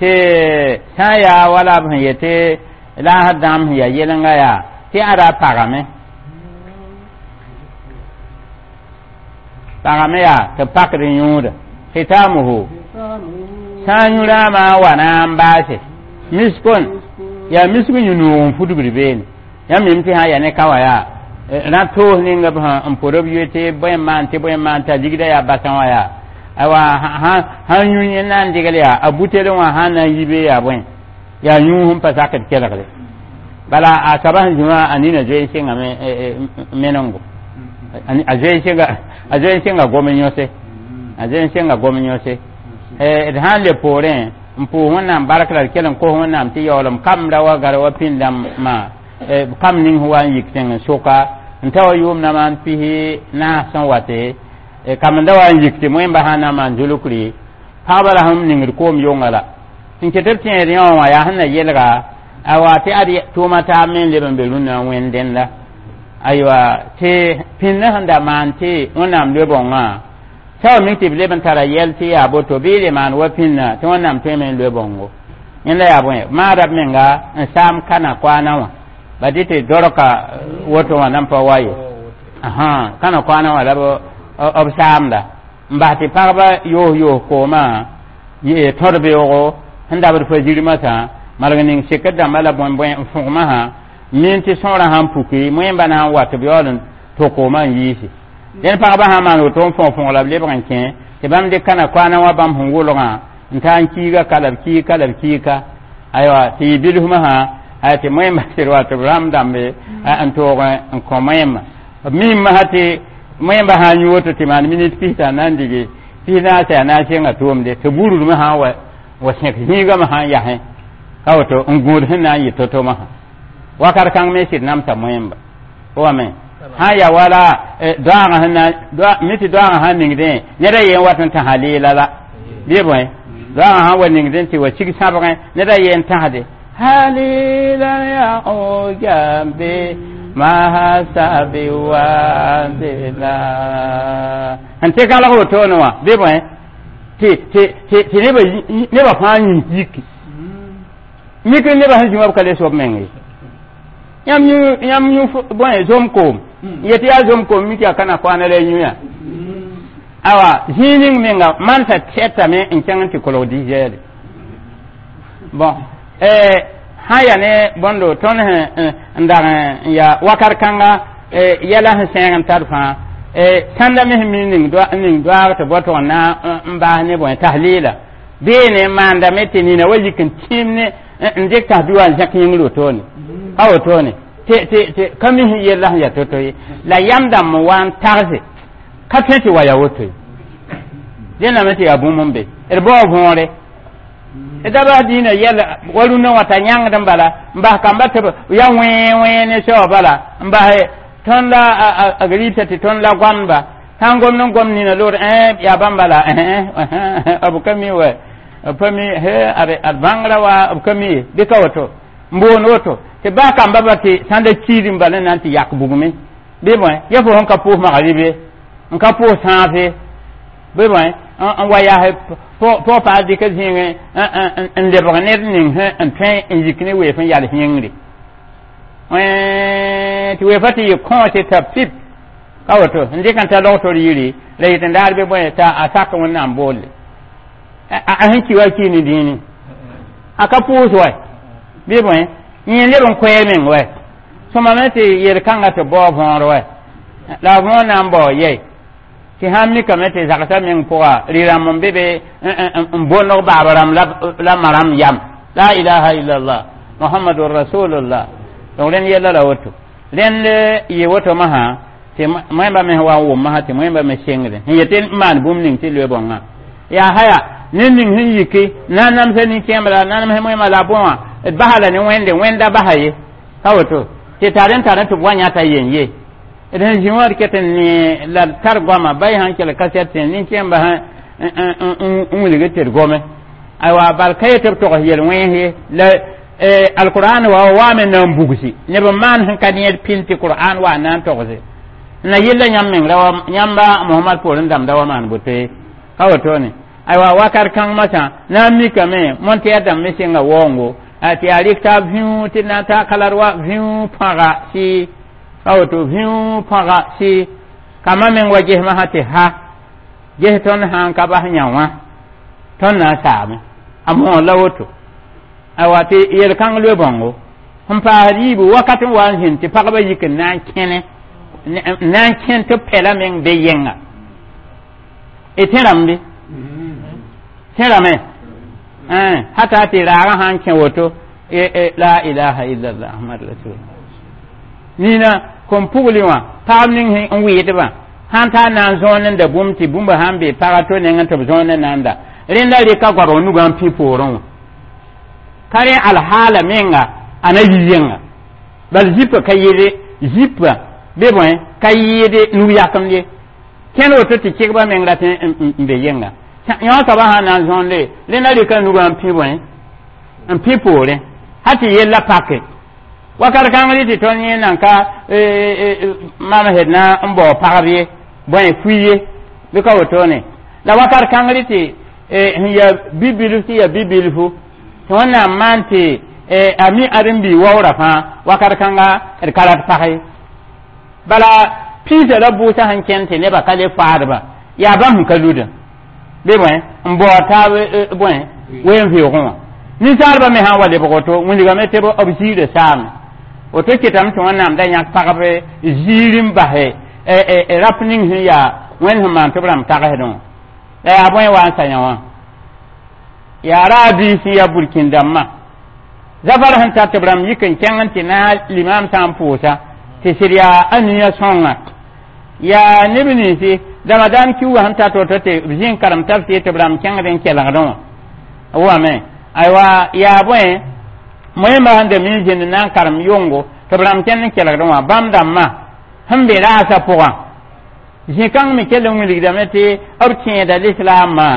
tɩ sã n yaa wala b sẽn yetɩ laasd dãmb sẽn yaa yɛlenga yaa tɩ ada pagame pagame yaa tɩ pakd yũuda khitamuhu sã n yũ-rãamã wa na n baase miskon yaa misk yũ-noog n fudgd beene yãmb mim tɩ sã n yaa ne ka wã yaa rã toos ninga b sẽn n pʋd b yoe tɩ bõe n maan tɩ bõe n maan t'a ligda yaa basã wã yaa awa sãn yũ yẽ na n degl yaa a butel wã sãn na n yi be yaa bõe yaa yũus n pa sakd kelgre bala a soaba sẽn zĩ wã a nina zoe n sɩngame menengo a zoe n sɩnga a zoe n sɩnga gom yõse a zoe n sɩnga gom yõse d sã n le poorẽ n pʋʋs wẽnnaam bark la d kell n kos wẽnnaam tɩ yaoolem kamb ra wa gar wa pĩnd-dãmbã kam ning sẽn wa n yik tẽng n soka n ta wa yʋʋm na maan pisi naas sẽn wate kamb da wa n yik tɩ moẽmba sã n na n maan zulukri pagba la sẽn ningd koom yonga la n ket b tẽed yõ wã yaa sẽn na yelga awa tɩ ad tʋʋma taab me n leb n be rũnnã wẽnd dẽnda aywa tɩ pĩndã sẽn da maan tɩ wẽnnaam loe-bõngã sã wa mik tɩ b leb n tara yɛl tɩ yaa boto bɩ le maan wa pĩndã tɩ wẽnnaam tõeme n loe bõngo yẽnda yaa bõe maada b menga n saam kana koaana wã ba dɩ tɩ dorka woto wã nan pa wa ye kana koaana wã la b saamda n bas tɩ pagba yoos yoos koomã tõd beoogo sẽn dabd fa zirmã marg ning sekd dãmba la bõe-bõe n fõgmã sã min tɩ sõorã sãn puki moẽmba na n wa tɩ b yaool n tʋ koomã n yiisi dẽn pagba sã n maan woto n fõg fõg la b lebg n kẽ tɩ bãmb dɩk kana koaana wã bãmb sẽn wʋlgã n taa n kiiga ka la b kiig ka la b kiig ka aywa tɩ yɩ bilfmã sã aya tɩ moẽmba sɩd wa tɩ b rãmb dãmbe n toog n kõ moẽmba b mimã sã tɩ moẽmba sã n yũ woto tɩ maan minit pista na n dige pis naase yaa na n sɩnga tʋʋmde tɩ burudmã sã n wa wa sẽk zĩigame sã n yasẽ ka woto n gũud sẽn na n yɩ to-tomã sã wakat kãng me sɩd namsa moẽmba wame sã n ya wala doaagã sẽn na mi tɩ doaagã sã n ningdẽ ned a yen wat n tãsa leela la bɩ bõe doaagã sã n wa ningdẽ tɩ wa sig sãbgẽ ned a yen tãsde halila ya ogambe mahasabi wandela n tɩ kalg wotone wã bɩ bõe tɩ tɩ tɩ nebã nebã fãa yĩs yiki mik nebã sẽn zĩ wã b ka le soab meng ye yãmb yũ yãmb yũ bõe zom koom yetɩ yaa zom koom mik yaa kana koaana la yũ yaa awa zĩig ning menga mansã tɛtame n kẽng n tɩ kolg dizɛɛle bon sã yaa ne bõndo tõnd sẽn n dag n yaa wakat kãnga yɛla sẽn sẽeg n tar fãa sãnda me sẽn mi ning doaag tɩ bao tʋg n na n baas ne bõe taslɩɩla beene n maandame tɩ nina wa yik n tĩim ne n dɩk tãs-bi wã n zẽk yĩngr wotone ka wotone tɩ tɩ tɩ ka mi sẽn yella sẽn yaa to-to ye la yam dãmb n wa n tagse ka tõe tɩ wa yaa woto ye dẽname tɩ yaa bũmb n be d bao võore da bas dĩinã yɛl wa rũndã wã t'a yãngd n bala n bas kamba tɩ b ya wẽe wẽe ne soab bala n bas tõnd la a rɩɩsa tɩ tõnd la goamdba sã n gomd n gom nina loor yaa bãmb bala b ka mi wa b pa mi ad bãngrã wa b ka mi ye bɩ ka woto n boond woto tɩ baa kamba ba tɩ sãn da kiid n bala n na n tɩ yak bugme bɩ bõe ya fo sẽn ka pʋʋs magribe n ka pʋʋs sãafe bɩ bõe n wa yaas pʋg paa dɩk zĩigẽ n lebg ned ning sẽn n tõe n yik ne weef n yals yĩngre tɩ weefa tɩ yɩ kõose t'a pip ka woto n dɩk n ta logtor yiri la yetɩ n daar bɩ bõe t'a a sak wẽnnaam boolle a sẽn ki wa ki ne dĩini a ka pʋʋs wa bɩ bõe yẽ leb n koɛɛ meng wa sõma me tɩ yel-kãngã tɩ bao võor wa la a võor na n bao yɛi tɩ sãn mikame tɩ zagsã meng pʋga rɩ-rãmb n be be n bondg baab rãmb la ma rãmb yam la ilaha illallah muhammadun rasulullah donc rẽnd yɛla la woto rẽnd yɩ woto masã tɩ Tɩ moẽmba me wa n wʋm masã tɩ moẽmba me sengdẽ sẽn yetɩ n maan bũmb ning tɩ loe bõngã yaa haya ned ning sẽn yiki na n namsa nin-kẽembã la na namsã moẽmã la bõwã d basa la ne wẽnde wẽnda basa ye ka woto tɩ tar n tar tɩ b wa yãta yen ye d sẽn zĩ wã d ket n ne la d tar goama ba sãn kell kasɛt tẽ nin-kẽembã n wilg tɩ d gome aywa bal ka yetɩ b togs yel-wẽns ye la alqur'an wa waame na n bugsi neb n maan sẽn ka need pĩnd tɩ qur'an wa na n togse na yella yãmb meng ra yãmba mohamad poorẽ dãmbda wa maan boto ye ka wotone aywa wakat kãng masã na n mikame montɛɛr dãmb me sɩnga waoongo tɩ yaa rɩk taab vĩu tɩ na n taa kalar wa vĩu pãga sɩ ka woto vĩu pãga sɩ kama meng wa ges masã tɩ ha ges tõnd sã n ka bas yã wã tõnd na n saame a moor la woto aywa tɩ yel-kãng loe bãngo sẽn paasd yiibu wakat n wa n zĩnd tɩ pagba yik n na n kẽne na n kẽn tɩ pɛla meng be yẽnga y tẽrame bɩ tẽrame hata tɩ raagã sã n kẽ woto la ilaha illallah ahmad rasul nina kom pugli wã pagb ning n wɩɩdbã sãn taa na n zõon n da bũmb tɩ bũmba sãn be paga to nengẽ tɩ b zõon n na n da rẽnda rɩka goabg nugã n pĩ poorẽ wã ka rẽ alhaala menga a na yi yẽnga bal zipã ka yɩɩde zipã bɩ bõe ka yɩɩde nug yakemd ye kẽnd woto tɩ kɩgba meng rat n be yẽnga yõ soaba sã na n zõonde rẽnda rɩka nugã n pĩ bõe n pĩ poorẽ ha tɩ yella pake wakat kãng rɩ tɩ tõnd yẽ nan ka mamsd na n bao pagb ye bõe fui ye bɩ ka wotone la wakat kãng rɩ tɩ sẽn ya bi-bilf tɩ ya bi-bilfu tɩ wẽnnaam maan tɩ a mi ãdem-bi waoora fãa wakat kãnga d ka rat pag ye bala piisã la bʋʋsã sẽn kẽnd tɩ nebã ka le faadba yaa bãmb sẽn ka ludã bɩ bõe n bao taab bõe wen-vɩʋʋgẽ wã ninsaalbã me sã n wa lebg woto wilgame tɩ b ziirã saame woto kɩtame tɩ wẽnnaam da yãk pagb ziir n basɛ rap ning sẽn yaa wẽnd sẽn maan tɩ b rãmb tagsdẽ wã la yaa bõe wa n sa yã wã yaa raa biis n yaa burkĩn dãmbã zafar sẽn tar tɩ b rãmb yik n kẽng n tɩ na limaam sã n pʋʋsa tɩ sɩd yaa a nia sõnga yaa neb ninsi ramadan kiuugã sẽn tar woto tɩ b zĩ n karem tafsɩ tɩ b rãmb kẽngd n kelgdẽ wã wame aywa yaa bõe moẽmbã sẽn da mi zĩnd na n karem yʋngo tɩ b rãmb kẽnd n kelgdẽ wã bãmb dãmbã sẽn be raasã pʋgã zĩ-kãng me kell n wilgdame tɩ b tẽeda lislaamã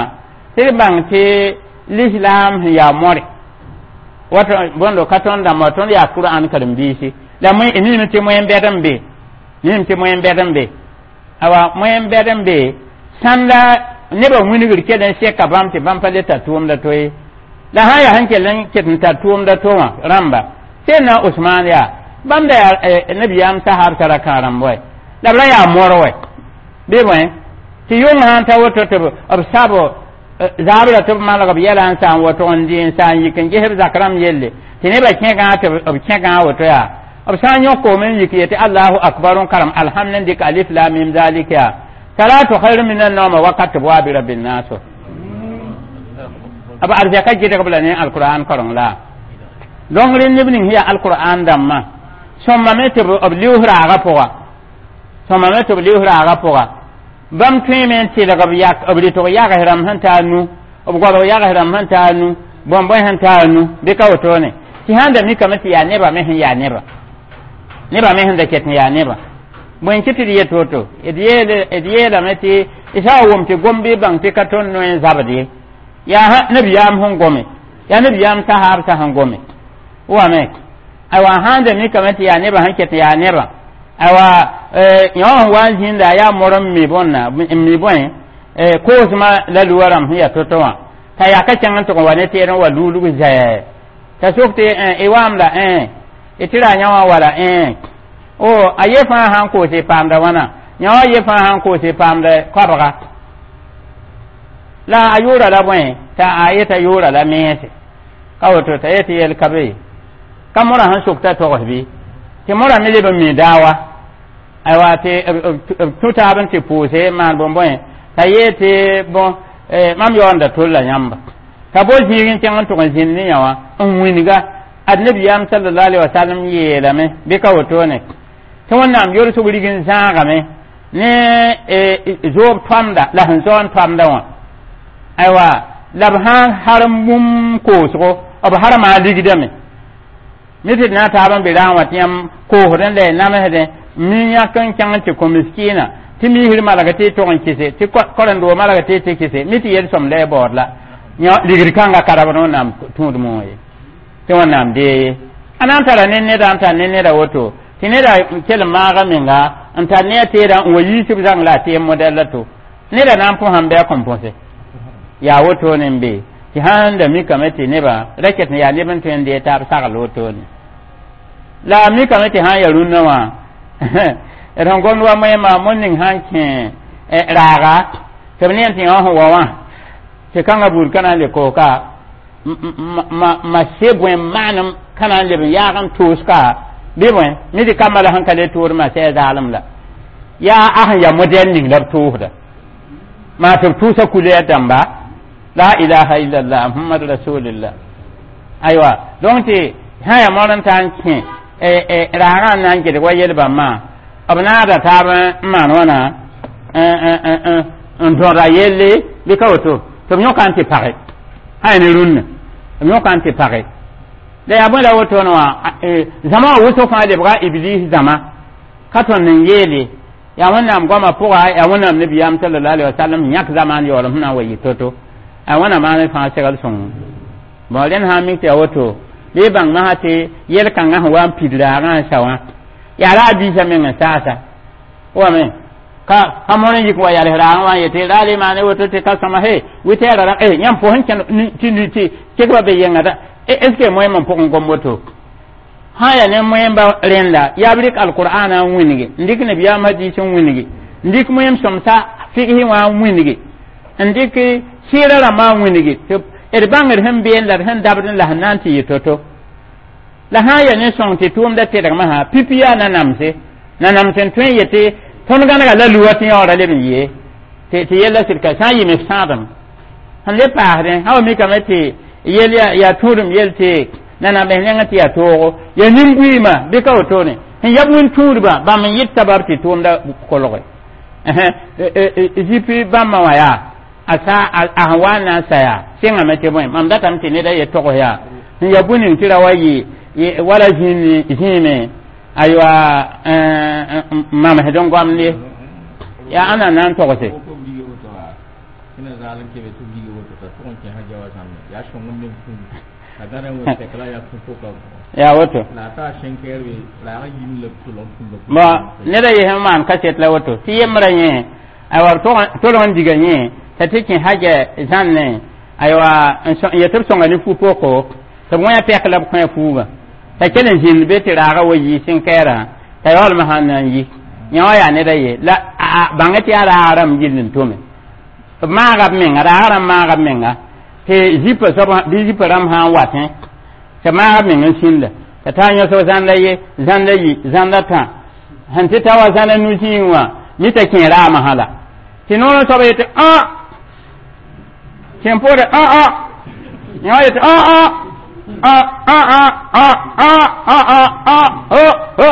tɩ d bãng tɩ lislaam sẽn yaa more wato bõndo ka tõnd dãmba tõnd yaa kur'an karen-biisi la niime tɩ moẽn-bɛd n be niime tɩ moẽn-bɛd n be awa moẽn-bɛd n be sãnda nebã wilgr kell n sɛka bãmb tɩ bãmb pa le tar tʋʋmda to ye la sã n yaa sẽn kell n ket n tar tʋʋmda to wã rãmba sẽn na Usmaan yaa bãmb da yaa nabiyaam sahab tara kã rãmb wɛ la b ra yaa mor wɛ bɩ bõe tɩ yʋng sã n ta woto tɩ b sab zaabra tɩ b malg b yɛla n sa n woto n dɩ n sa n yik n ges b zak rãmb yelle tɩ nebã kẽgã tɩ b kẽgã woto yaa b sã n yõkoom n yik yetɩ allahu akbar n karem alhamd n dɩk alif la mim zalik yaa salatu khairu min an-nawm wakat tɩ b waa bɩ rabbi naso b arzɛka gɩdg b la ne alqur'an kareng la donc rẽ neb ning sẽn yaa alqur'an dãmbã sõmame tɩ b lius raagã pʋga sõmame tɩ b lius raagã pʋga bãmb tõeme n tɩlg b yak b rɩtg yags rãmb sẽn taa nu b goabg yags rãmb sẽn taa nu bõn-bõe sẽn taa nu bɩ ka wotone tɩ sãn da mikame tɩ yaa nebã me sẽn yaa nebã nebã me sẽn da ket n yaa nebã bõe n kɩ tɩ d yet woto d yeelame tɩ d sã n wʋm tɩ gom bɩ bãng tɩ ka tõnd noe n zabd ye yaa nabiyaam sẽn gome yaa nabiyaam sahaabsã sẽn gome wame aywa sãn da mikame tɩ yaa nebã sẽn ket n yaa nebã aywa yõ sẽn wa n zĩnda yaa mor n mi bõnna n mi bõe koosmã la luwa rãmb sẽn yaa to-to wã t'a yaa ka kẽng n tʋg n wa ne teer n wa luulg zɛɛ t'a sok tɩ y waam la y tɩ ra yã wã wala o a ye fãa sãn koos y paamda wãna yã wã ye fãa sãn koos y paamda koabga la a yʋʋra la bõe t'a a yeta yʋʋra la mense ka woto t'a yetɩ yel ka be ka morã sẽn sok t'a togs bɩ tɩ morã me leb n mi daawa aywa tɩ b tũ taab n tɩ pʋʋse maan bõn-bõe t'a yee tɩ bõ mam yaoonda tolla yãmba t'a bo zĩig n kẽng n tʋg n zĩnd ne yã wã n wĩnga ad nabiyaam sallallahu alaihi wasallam yeelame bɩ ka wotone Tɩ Wẽnnaam yolsg rig n zãagame ne zoob toamda la sẽn zao n toamda wã. Aywa, la b sãn harem bũmb koosgo, b harma ligdame. Mi tɩ d na n taab n be raag wã tɩ yãmb koosd n la y namsdẽ, mi yãk n kẽng n tɩ kõ miskiina, tɩ misr malg tɩ y tog n kɩse, tɩ korẽndo malg tɩ y tɩ kɩse, mi tɩ yel-sõm la y baood la ligd kãngã ka rabd Wẽnnaam tũudmẽ wã ye, tɩ Wẽnnaam dee ye. A na n tara ne neda n tar ne neda woto, tɩ neda kell n maaga menga n tar ne a teedã n wa yiisb zãng la a teem modɛl la to neda na n pʋsãm bɩ a kõn põse. Yaa wotone n be tɩ sãn da mikame tɩ nebã ra ket n yaa neb n tõe n dee taab sagl wotone. La a mikame tɩ sãn ya rũnnã wã, d sẽn gomd wa moẽmã, moon ning sãn kẽ raaga tɩ b ne n tɩ yõ sẽn wa wã, tɩ kãngã buud ka na n le koos ka ma se bõe maanem ka na n leb n yaag n toos ka bɩ bõe mi tɩ kambã la sẽn ka le tood ma sɛ zaalem la yaa a sẽn ya modɛl ning la b toosda maa tɩ b tʋʋsa kulɛɛr dãmba. La ilaha illallah Muhammad rasulillah. Aywa, donc tɩ sã ya moor n ta n kẽ raagã n na n ged wa yel bãmbã, b naada taab n maan wãna n dõda yelle bɩ ka woto tɩ b yõka n tɩ page sã ya ne rũnnã, b yõka n tɩ page la yaa bõe la wotone wã. Zãma wã wʋsg fãa lebga Iblis zãma ka tõnd n yeele yaa Wẽnnaam goamã pʋga, yaa Wẽnnaam nabiyaam sallallahu alaihi wasallam yãk zamaan yaoolem sẽn na n wa yɩ to-to. A wẽnnaam maan fãa segl sõng bon. Rẽnd sã n mik tɩ yaa woto, bɩ y bãng masã tɩ yel-kãngã sẽn wa n pid raagã n sa wã, yaa ra a biisã meng n saasa wame ka ka mõr n yik wa yals raagã wã n yetɩ ra le maane woto tɩ ka sõma he wɩtɛɛra ra yãmb pʋs n kẽn tɩ tɩ kekba be yenga da. Est ce que moẽm n pʋgẽ gom woto sã ya ne moẽmba rẽnda yaa b rɩk alqur'ana n wĩnge, n dɩk nabiyaam hadis n wĩnge, n dɩk moẽm sõmsa figsẽ wã n wĩnge, n dɩk sɩɩrã rãmbã n wĩnge tɩ d bãngd sẽn been la d sẽn dabd la sẽn na n tɩ yɩ to-to. La sã n ya ne sõng tɩ tʋʋmda tedgmã sã pipi yaa nanamse nanams n tõe n yetɩ tõnd gãnega la luwa tɩ yaoora leb n yee tɩ yella sɩd ka sã n yɩ me sãadem sẽn le paasdẽ sã wa mikame tɩ yel yaa tũudem yel tɩ nanam b nengẽ tɩ yaa toogo ya nin-buiimã bɩ ka wotone sẽn yab wĩn-tũudbã bãmb n yɩt sabab tɩ tʋʋmda kolge zipi bãmbã wã yaa a sa a sẽn wa n na n sa yaa sɩngame tɩ bõe mam datame tɩ neda ye togs yaa sẽn ya bũn ning tɩ ra wa yɩ wala zĩime aywa mamsd n goamde yaa ãnna na n togse. Yaa woto bon, neda yɩ sẽn maan kaset la woto tɩ yembrã yẽ aywa tolg n diga yẽ t'a tɩ kẽ haja zãnne aywa n yetɩ b sõnga ne fu-poko tɩ b wẽ pɛk la b kõ fuugã t'a kell n zĩnd be tɩ raagã wa yɩ sẽn-kɛɛrã t'a yaoolmã sãn na n yi yã wã yaa neda ye la bãng tɩ yaa raag rãmb gill n tome b maaga b menga, raag rãmb maaga b menga tɩ zipã soab bɩ zipã rãmb sã n watẽ tɩ maaga b meng n sĩnda t'a taa yõsg zãnda ye zãnda yi zãnda tã sẽn tɩ ta wa zãnda nu-zĩig wã mi t'a kẽ raamã sã la tɩ noorã soaba yetɩ ã kẽ poore ã ã yã wã yetɩ ã ã ã ã ã ã ã ã ã ã o o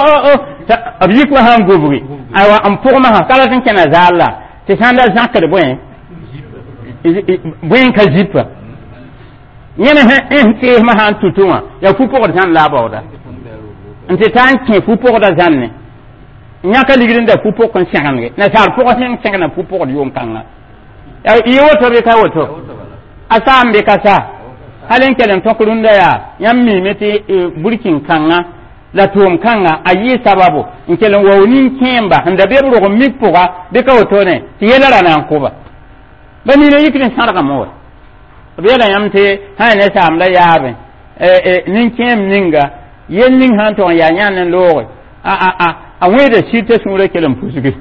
o b yik wã sãn gubgi aywa n pʋgmã sã ka rat n kẽna zaal la tɩ sãn da zãkd bõe bõe n ka zipã yẽne sẽn teesmã sã n tutu wã yaa fu-pʋgd zãn la a baooda n tɩ taa n kẽ fu-pʋgda zãnne yãka ligd n da fu-pʋk n sẽgendge nasaar pʋgs meng sẽgna fu-pʋgd yʋʋm-kãngã yɩ woto bɩ ka woto a saam bɩ ka sa hal n kell n tõk rũndã yaa yãmb miime tɩ burkin-kãngã la tʋʋm kãnga a yɩ sababu n kell n wao nin-kẽemba sẽn da be b rog n mik pʋga bɩ ka wotone tɩ yɛla ra na n kʋba ba nina yikd n sãdgame wa. B yeela yãmb tɩ sã ya ne saamda yaabẽ nin-kẽem ninga yel ning sã n tog n yaa yãnd n looge a wẽeda sɩd t'a sũurã kell n pusgi.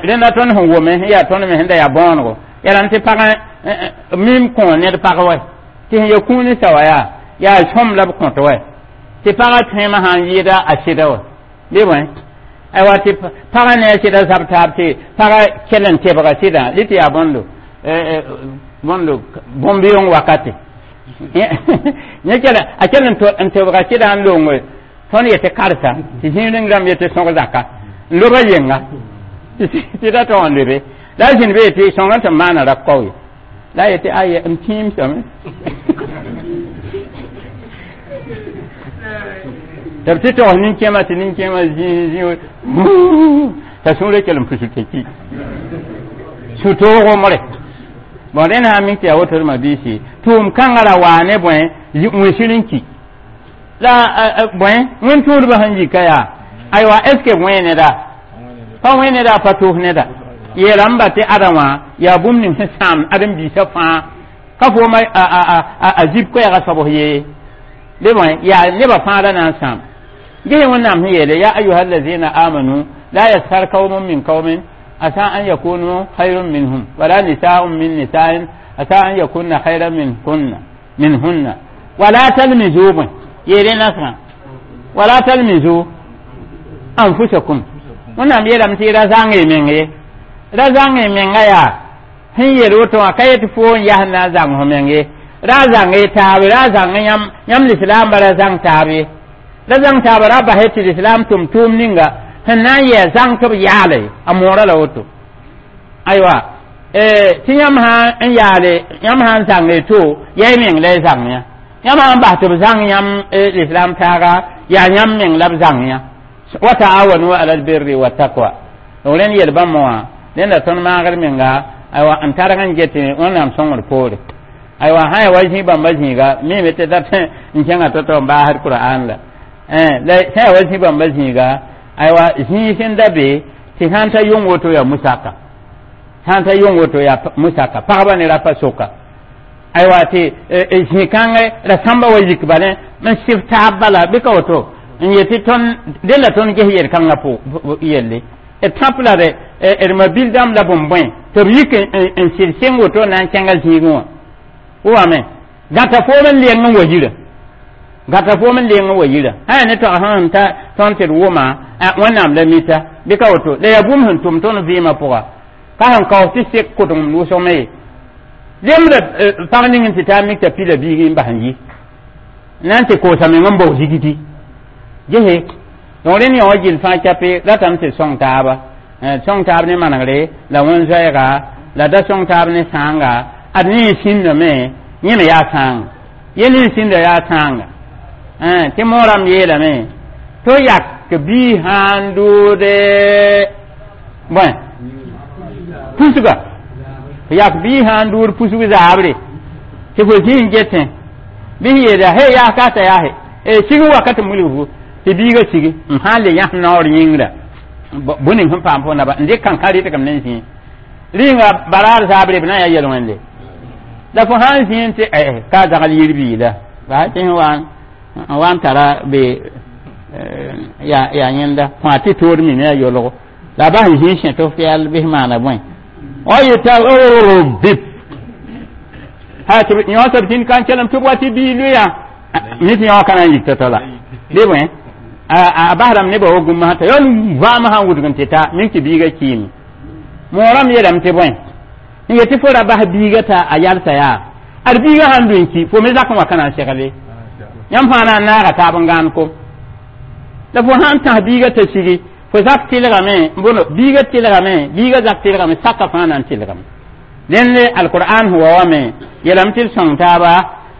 Rẽnda tõnd sẽn wome sẽn yaa tõnd me sẽn da yaa bõonego yaa rãmb tɩ pag mim kõ ned pag wɛ tɩ sẽn ya kũuni sa wa yaa yaa sõm la b kõt wɛ tɩ pagã tõema sã n yɩɩda a sɩda wɛ bɩ bõe aywa tɩ pagã ne a sɩda zab taab tɩ pagã kell n tebga sɩdã lɩ tɩ yaa bõndo bõndo bõn-beoong wakate yẽ kell a kell n tebga sɩdã n longe Tõnd yetɩ karsa tɩ zĩig ning rãmb yetɩ sõg zaka n loba yenga tɩ da tog n lebe la a zĩnd be yetɩ sõngã tɩ maana ra kao ye la a yetɩ aye m tĩimsame tɩ b tɩ togs nin-kẽemã tɩ nin-kẽemã zĩ zĩ t'a sũurã kell n pus tɩ ki sũ-toogo more bon rẽnd sã n mik tɩ yaa woto d mabiisi tʋʋm kãngã ra waa ne bõe wẽsir n ki la bõe wẽn-tũudbã sẽn yika yaa aywa est ce que wẽ neda pa wẽ neda pa tʋʋs neda yeelame ba tɩ ada wã yaa bũmb ning sẽn sãam ãdem-biisã fãa ka foom a zib koɛɛgã soabs yee bɩ bõe yaa nebã fãa ra na n sãam ges wẽnnaam sẽn yeele ya ayuha allazina amanu la yaskhar qaumun min qaumin asa an yakunu khayrun minhum wala nisaun min nisa'in asa an yakunna khayran minkunna minhunna wala talmizu bõe yeele nasrã wala talmizu anfusakum wẽnnaam yeelame tɩ ra zãng y meng ye ra zãng y menga yaa sẽn yel woto wã ka yetɩ fo n yas na n zãng fo meng ye ra zãng y taabe ra zãng yãmb yãmb lislaambã ra zãng taab ye ra zãng taaba ra basɛ tɩ lislaam tʋm tʋʋm ninga sẽn na n yɛɛ zãng tɩ b yaale a moorã la woto aywa tɩ yãmb sã n yaale yãmb sã n zãng y to yaa y meng la y zãng yã yãmb sã n bas tɩ b zãng yãmb lislaam taaga yaa yãmb meng la b zãng yã wa taawanu ala albirri wattaqwa donc rẽnd yel bãmb wã rẽnda tõnd maagd menga aywa n targ n get wẽnnaam sõngr poore aywa sã ya wa zĩ bãmba zĩiga mime tɩ dat n kẽngã to-to n baasd qur'an la la sã ya wa zĩ bãmba zĩiga aywa zĩig sẽn da be tɩ sãn ta yong woto yaa musaka sãn ta yong woto yaa musaka pagba ne rapa soka aywa tɩ zĩ-kãngẽ ra sãmba wa yik bale n sɩf taab bala bɩ ka woto n yetɩ tõnd dẽnda tõnd ges yel-kãngã yelle d tãp la d d mabil dãmb la bõn-bõe tɩ b yik n sɩd sɩng woto na n kẽnga zĩigẽ wã wame gãta foom n leng n wa yirã gãta foom n leng n wa yirã sã yaa ne tog sẽn ta tõnd tɩ d wʋma wẽnnaam la mita bɩ ka woto la yaa bũmb sẽn tʋm tõnd vɩɩmã pʋga ka sẽn kaoos tɩ sek kʋdem wʋsgme ye lemda pag ning n tɩ taa mik t'a pila biigi n bas n yi na n tɩ koosa meng n bao zigdi gese donc rẽnd yã wã gill fãa cape ratame tɩ sõng taaba sõng taab ne manegre la wẽn-zoɛɛga la da sõng taab ne sãanga ad ne n sĩndame yẽ me yaa sãanga ye ne n sĩnda yaa sãanga tɩ moorame yeelame to yak bii sã n dʋʋde bõe pusga yak bii sã n dʋʋd pusg zaabre tɩ fo zĩ n getẽ bɩ sẽn yeela he yaa ka t'a yaase sig wakat n wilg fo tɩ biigã sigi n sã n le yãs naoor yĩngra bõe ning sẽn paam fo naba n dɩk kãnkã rɩtgem ne n zĩ rĩnga baraar zaabre b na n yaa yel-wẽnde la fo sã n zĩ tɩ ka zagl yir biila baa tɩ sẽn wa n wa n tara be yaa yẽnda fãa tɩ tood mime a yolgo la a bas n zĩ sẽ tɩ f yɛl bɩs maana bõe o yeta bip ha tɩ yõ soab zĩnd ka n kelem tɩ b wa tɩ bii loeya mi tɩ yõ ka na n yik tɔ-tɔ la bɩ bõe a basdame nebã wa gũm t'a yon vaam sã n wudg n tɩ ta mink tɩ biigã kiime moorame yeelame tɩ bõe n yetɩ fo ra bas biigã t'a a yalsa yaa ad biigã sãn lʋ n ki fo me zak n wa ka na n segle yãmb fãa na n naaga taab n gãan kom la fo sãn tãs biigã t'a sigi fo zak tɩlgame bõno biigã tɩlgame biigã zak tɩlgame saka fãa na n tɩlgame dẽnd alqur'an sẽn wa wame yeelame tɩ d sõng taaba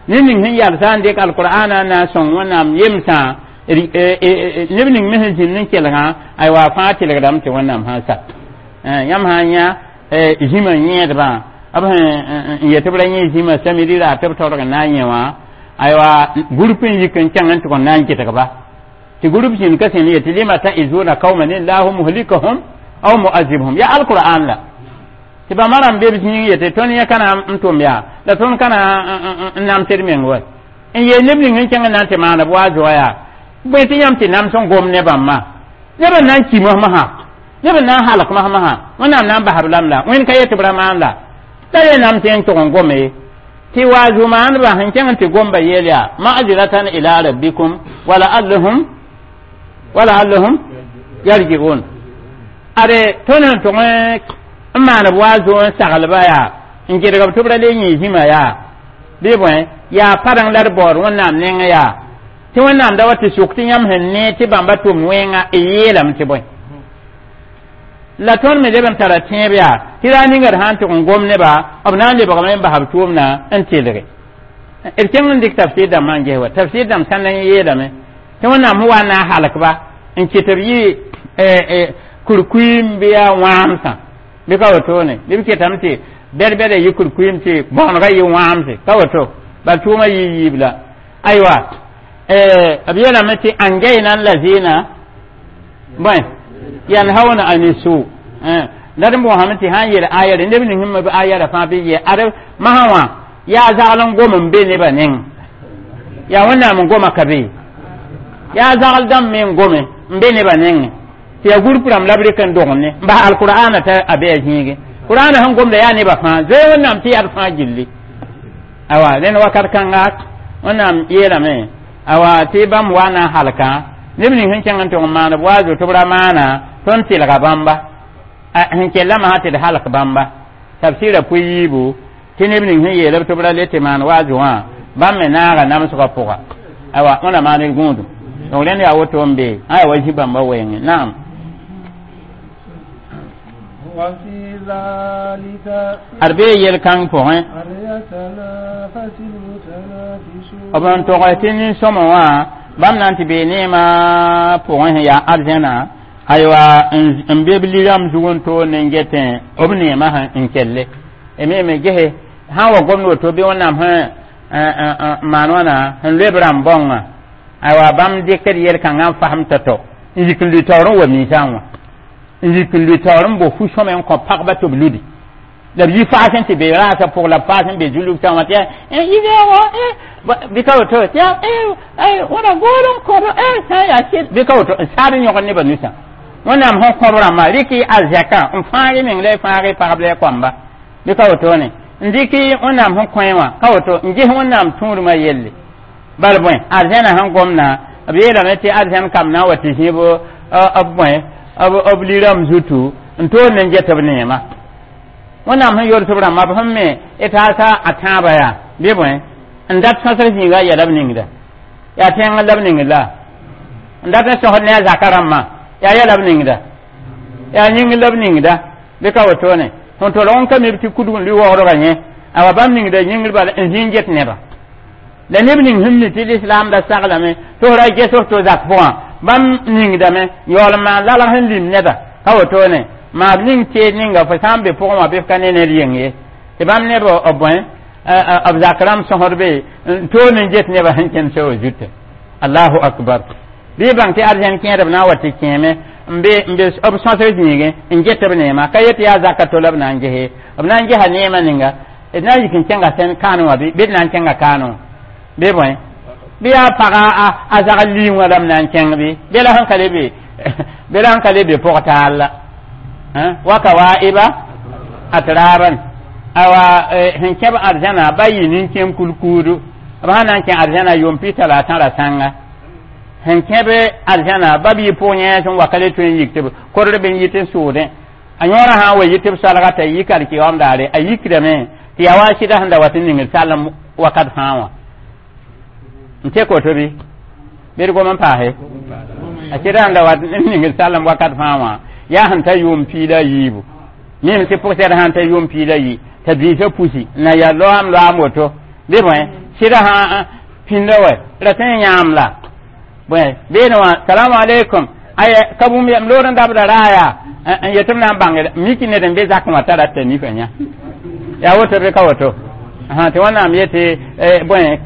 ne ning sẽn yalsã n dɩk alqur'ana na n sõng wẽnnaam yemsã neb ning me sẽn zĩnd n kelgã aywa fãa tɩlgdame tɩ wẽnnaam sã n sak yãmb sã n yã zĩmã yẽedbã b sẽn yet b ra yẽ zĩmã samidi ra tɩ b taorg n na n yẽ wã aywa group n yik n kẽng n tʋg n na n gɩdgba tɩ group zĩnd ka sẽn yetɩ lima ta'izuna qauman illahu muhlikahum aw mu'azibhum ya alqur'an la tɩ bãmba rãmb be b zĩig yetɩ tõnd yẽ ka na n tʋm yaa la tõnd ka na n namsd meng wa n yeel neb ning n kẽng n na n tɩ maan b wa zoa yaa bõe tɩ yãmb tɩ nams n gom ne bãmba neb n na n ki mosmsã neb n na n halk mosmsã wẽnnaam na n basb lam la wẽnd ka yet tɩ b ra maan la la ye nam tɩ n tʋg n gome tɩ waazu maandbã sẽn kẽng n tɩ gomba yeel yaa ma'ziratan ila rabbikum wa la'allahum wa la'allahum yarji'un ade tõnd sẽn tʋg n maan b waazu n saglba yaa n gɩdg b tɩ b ra le yẽ zĩma yaa bɩ bõe yaa padeng la d baood wẽnnaam nengẽ yaa Tɩ Wẽnnaam da wa tɩ sʋk tɩ yãmb sẽn nee tɩ bãmba tʋm wẽnga y yeelame tɩ bõe la tõnd me leb n tara tẽeb yaa tɩ raa ninga d sã n tʋg n gom neba b na n lebgame n bas b tʋʋmdã n telge d kẽng n dɩk tafsir dãmbã n ges wa tafsir dãmb sãn na n yeelame tɩ Wẽnnaam sẽn wa n na n halkba n kɩt b yɩ kurkuim bɩ yaa wãamsã bɩ ka wotone bɩ b ketame tɩ bɛd-bɛda yɩ kurkuim tɩ bõonegã yɩ wãamse ka woto bal tʋʋmã yɩ yiib la aywa b yeelame tɩ anjayna lazina bõe yanhauna ani su la d boosame tɩ sã n yel aya rẽ neb ning b aya ra fãa bɩ yɛ ad masã wã yaa zagl n gom n be nebã neng yaa Wẽnnaam n goma ka be yaa zagl dãmb me n gome n be nebã nengẽ tɩ yaa gurp rãmb la b rɩk n dogend ne n bas alqur'ana t'a a be a zĩige qur'ana sẽn gomda yaa nebã fãa zoe Wẽnnaam tɩ yaa d fãa gilli awa rẽnd wakat kãnga Wẽnnaam yeelame awa tɩ bãmb wa na n halkã neb ning sẽn kẽng n tʋg n maan b wa zoto b ra maana tõnd tɩlga bãmba sẽn kellã masã tɩ d halk bãmba tafsɩra pʋ yiibu tɩ neb ning sẽn yeel b tɩ b ra le tɩ maan waazo wã bãmb me naaga namsgã pʋga awa wẽna maan d gũudum donc rẽnd yaa woto n be ã yaa wa zĩ bãmba wɛɛngẽ naam وفي ذلك ad bee yel-kãng pʋgẽ فليتنافس المتنافسون b n tɔgɛ tɩ nin-sõma wã bãmb na n tɩ bee neemã pʋgẽ sẽn yaa arzẽna aywa n be b lirãmb zug n toor ne n getẽ b neemã sẽn n kelle me me gese sã n wa gomd woto bɩ Wẽnnaam sẽn maan wãna sẽn loe b rãmb bãongã aywa bãmb dɩkd yel-kãngã n fasem tɔ-tɔ n yik n lʋɩ taoor n wa miisã wã n yik n lʋɩ taoor n bo fu-sõme n kõ pagba tɩ b ludi la b yi faas n tɩ be raasã pʋg la b faas n be zulug-sã wã tɩ yaa bɩ ka woto tɩ yaa wãna gool n kõb sã n yaa sɩd bɩ ka woto n saad n yõgd nebã nusã Wẽnnaam sẽn kõb rãmbã rɩk y arzɛkã n fãag y meng la y fãag y pagb la y koamba bɩ ka wotone n dɩk Wẽnnaam sẽn kõ wã ka woto n ges Wẽnnaam tũudmã yelle bal bõe arzẽna sẽn gomna b yeelame tɩ arzẽn kam na n wa tɩ zĩib b bõe b lirãmb zutu n toor ne n get b neema Wẽnnaam sẽn yols b rãmbã b sẽn me d taasa a tãabã yaa bɩ bõe n dat sõsg zĩiga a yɛla b ningda yaa tẽng la b ningd la n dat n sõsd ne a zaka rãmbã yaa yɛla b ningda yaa yĩngr la b ningda bɩ ka wotone sẽn tolg n ka mi b tɩ kudg n lʋɩ waoodgã yẽ awa bãmb ningda yĩngr bala n zĩ n get neba la neb ning sẽn mi tɩ lislaam da saglame tɩ f ra ges f to zak pʋgã bãmb ningdame yaool n maan lalg sẽn lim neda ka wotone maa b ning teed ninga fo sã n be pʋgẽ wã bɩ f ka ne ned yeng ye tɩ bãmb neb b bõe b zak rãmb sõsd be n toor n get nebã sẽn kẽnd soa zutã allahu akbar bɩ y bãng tɩ arzẽn kẽedb na n wa tɩ kẽeme n be n be b sõsg zĩigẽ n get b neema ka yet yaa zaka to la b na n gese b na n gesa neemã ninga d na n yik n kẽnga sẽn kaan wã bɩ d na n kẽnga kaanẽ wã bɩ bõe bɩ yaa paga a zagl liing wã la m na n kẽng bɩ bɩ la sẽn ka le be bɩ la sẽn ka le be pʋg taal la wa kawaiba atraban awa sẽn kẽb arzãna ba yɩ nin-kẽem kulkuudu b sã na n kẽ arzãna yʋʋm pi talaatã ra sãnga sẽn kẽb arzãna ba b yɩ pʋg yẽes n wa ka le tõe n yik tɩ b kodr b n yit n sʋʋdẽ a yõorã sã n wa yit b salga t'a yik alkiyaoom daare a yikdame tɩ yaa wa a sɩda sẽn da wat n ningd sallem wakat fãa wã n tek woto bɩ bɩ d gom n paase a sɩda sẽn da wat n ningd sallem wakat fãa wã yaa sẽn ta yʋʋm piila yiibu mim tɩ pʋgsɛd sãn ta yʋʋm piila yi t'a biisã pusi na yaa loaam loaam woto bɩ bõe sɩda sã pĩnda wɛ ra tõe n yãam la bõe beene wã salamu aleykum aya ka bũmb yam loor n dabda raaya n yetɩ b na n bãng miki ned n be zakẽ wã t'a rata nifã yã yaa woto bɩ ka woto tɩ Wẽnnaam yetɩ bõe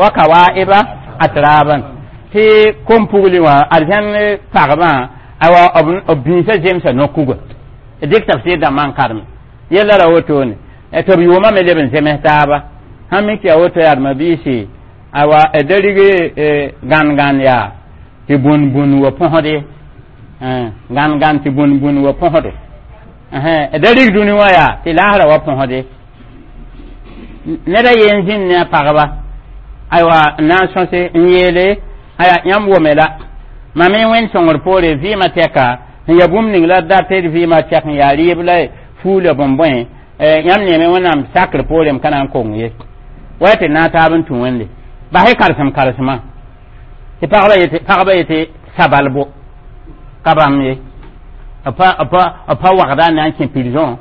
wa kawaiba atraban tɩ kom-pugli wã arzẽn pagbã awa b bĩisã zemsa no-kuga dɩk tafsir dãmbã n karme yella ra wotone tɩ b yʋʋmã me leb n zems taaba sãn mik yaa woto yaa biisi awa da rig gãn-gãn yaa tɩ bũn-bũn wa põsde gãn-gãn tɩ bũn-bũn wa põsde da rig dũni wã yaa tɩ laasra wa põsde ned a yen zĩnd ne a pagba aywa n na n sõse n yeele aya yãmb wome la mam y wẽnd sõngr poore vɩɩmã tɛka sẽn ya bũmb ning la dat d vɩɩmã tɛk n yaa rɩɩb la fuu la bõn-bõe yãmb neeme Wẽnnaam sakr poorem ka na n kong ye wa tɩ na taab n tũ wẽnde bas y karesem karesmã Tɩ pagba yetɩ pagba yetɩ sabalbo ka bãmb ye b pa b pa wagda n na n kẽ prison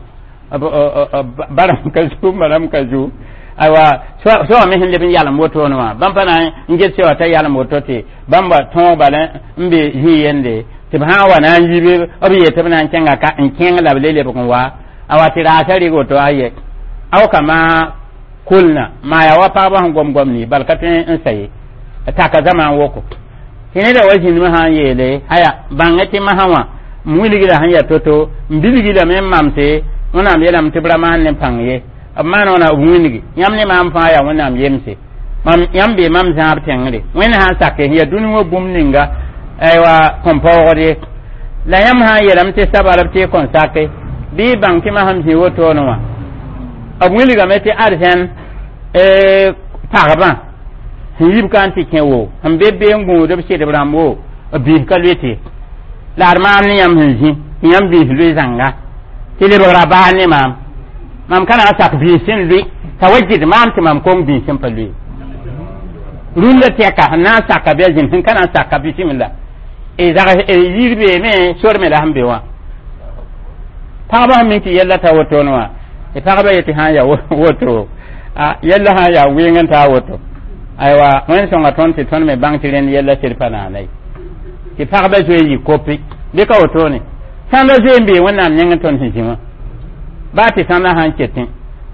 barame ka zu maram ka zu aywa soa me sẽn leb n yalem wotone wã bãmb pa na n get sewa t'a yalem woto tɩ bãmba tõog bala n be zĩ-yende tɩ b sã n wa na n yi b yet tɩ b na n kẽnga ka n kẽng la b le lebg n wa awa tɩ raasã rɩg woto aye aw kama kulna maa yaa wa pagba sẽn gom gom ni bal ka tõe n sa ye taka zama n woko tɩ neda wa zĩndmã sã n yeele aya bãngẽ tɩ masã wã m wilgra sẽn yaa to-to m bilgi lame n mamse wẽnnaam yeelame tɩ b ra maan ne pãng ye b maan wãna b wĩngi yãmb ne maam fãa yaa wẽnnaam yemse mam yãmb bee mam zãab tẽngre wẽnd sã n sake sẽn yaa dũni wã bũmb ninga aywa kõn paoogd ye la yãmb sã n yeelame tɩ sabalb tɩ y kõn sake bɩ y bãng tɩ masam zĩ wotone wã b wilgame tɩ arzɛn pagbã sẽn yib ka n tɩ kẽ wo sẽn be bee n gũud b sɩdb rãmb wo b biis ka loe la d maam ne yãmb sẽn zĩ tɩ yãmb biis loe zãnga tɩ lebgra baar ne maam mam ka na n sak biis sẽn lʋɩ t'a wa gɩd maam tɩ mam kong biis sẽn pa lʋɩ rũndã tɛka sẽn na n saka bɩ a zĩnd sẽn ka na n saka bisimilla yir beeme sor me la sẽn be wã pagba sẽn mik tɩ yɛlla ta wotone wã tɩ pagba yetɩ sã n yaa woto yɛlla sã n yaa wɩng n taa woto aywa wẽnd sõnga tõnd tɩ tõnd me bãng tɩ rẽnd yɛlla sed pa naana ye tɩ pagba zoe n yɩ kopi bɩ ka wotone sãnda zoe n bee wẽnnaam yẽng tõnd sẽn zĩ wã baa tɩ sãnda sã n ketẽ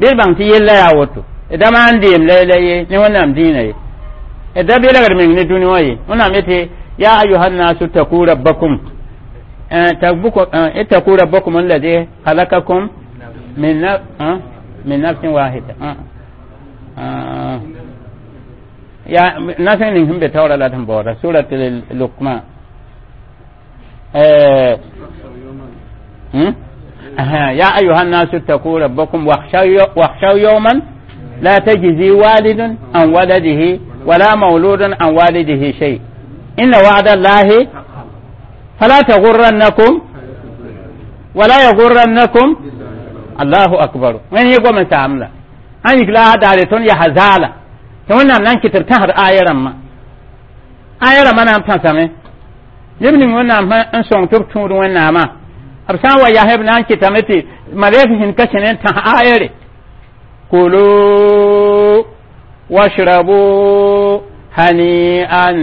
bɩ d bãng tɩ yella yaa woto da maan deem la la ye ne wẽnnaam dĩinã ye da belgd meng ne dũni wã ye wẽnnaam yetɩ ya ayuha nnasu taku rabbakum ittaku rabbakum alladhi khalaqakum min min nafsin wahida ya nafsin ning sẽn be taoora la d sẽn baooda surat luqman يا أيها الناس اتقوا ربكم واخشوا يوما لا تجزي والد عن ولده ولا مولود عن والده شيء إن وعد الله فلا تغرنكم ولا يغرنكم الله أكبر وين يقوم من ساملا أن يقلا دارتون يحزالا تقولنا نان كتر تهر آية رما آية رما نام تنسامي neb ning wẽnnaam n sõng tɩ b tũud wẽnnaamã b sã n wa yaa b na n kɩtame tɩ malɛk sẽn ka sẽn n tãs ayere kulu washrabu hani'an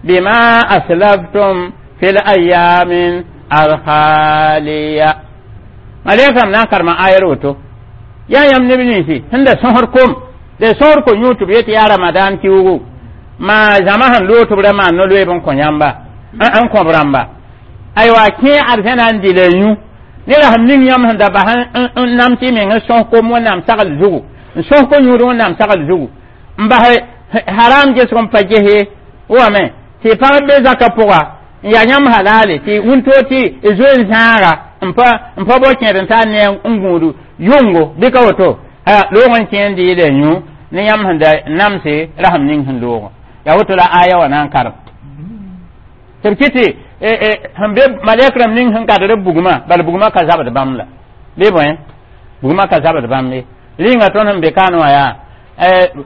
bima aslaftum fil ayamin alkhaliya malɛkame na n karema ayere woto yaa yãmb neb ninsi sẽn da sõsd kom da sõsd ko yũ tɩ b yet yaa ramadan kiugu maa zãma sẽn loog tɩ b ra maan no-loeeb n kõ yãmba n kõb rãmba aywa kẽ arzẽna n dɩ la yũ nera sẽn ning yãmb sẽn da bas n nam tɩ meng n sõs kom wẽnnaam sagl zugu n sõs ko yũud wẽnnaam sagl zugu n bas haram gesg n pa ges ye wame tɩ pagb be zakã pʋga n yaa yãmb halale tɩ wĩntoog tɩ y zoe n zãaga n pa n pa bao kẽed n tar ne n gũud yʋngo bɩ ka woto loog n kẽ n dɩ la yũ ne yãmb sẽn da namse rasem ning sẽn loogã yaa woto la aya wã na n karem tɩ b kɩ tɩ sẽn be malɛk rãmb ning sẽn kadr b bugmã bala bugmã ka zabd bãmb la bɩ bõe bugmã ka zabd bãmb ye rĩnga tõnd sẽn be kaan wã yaa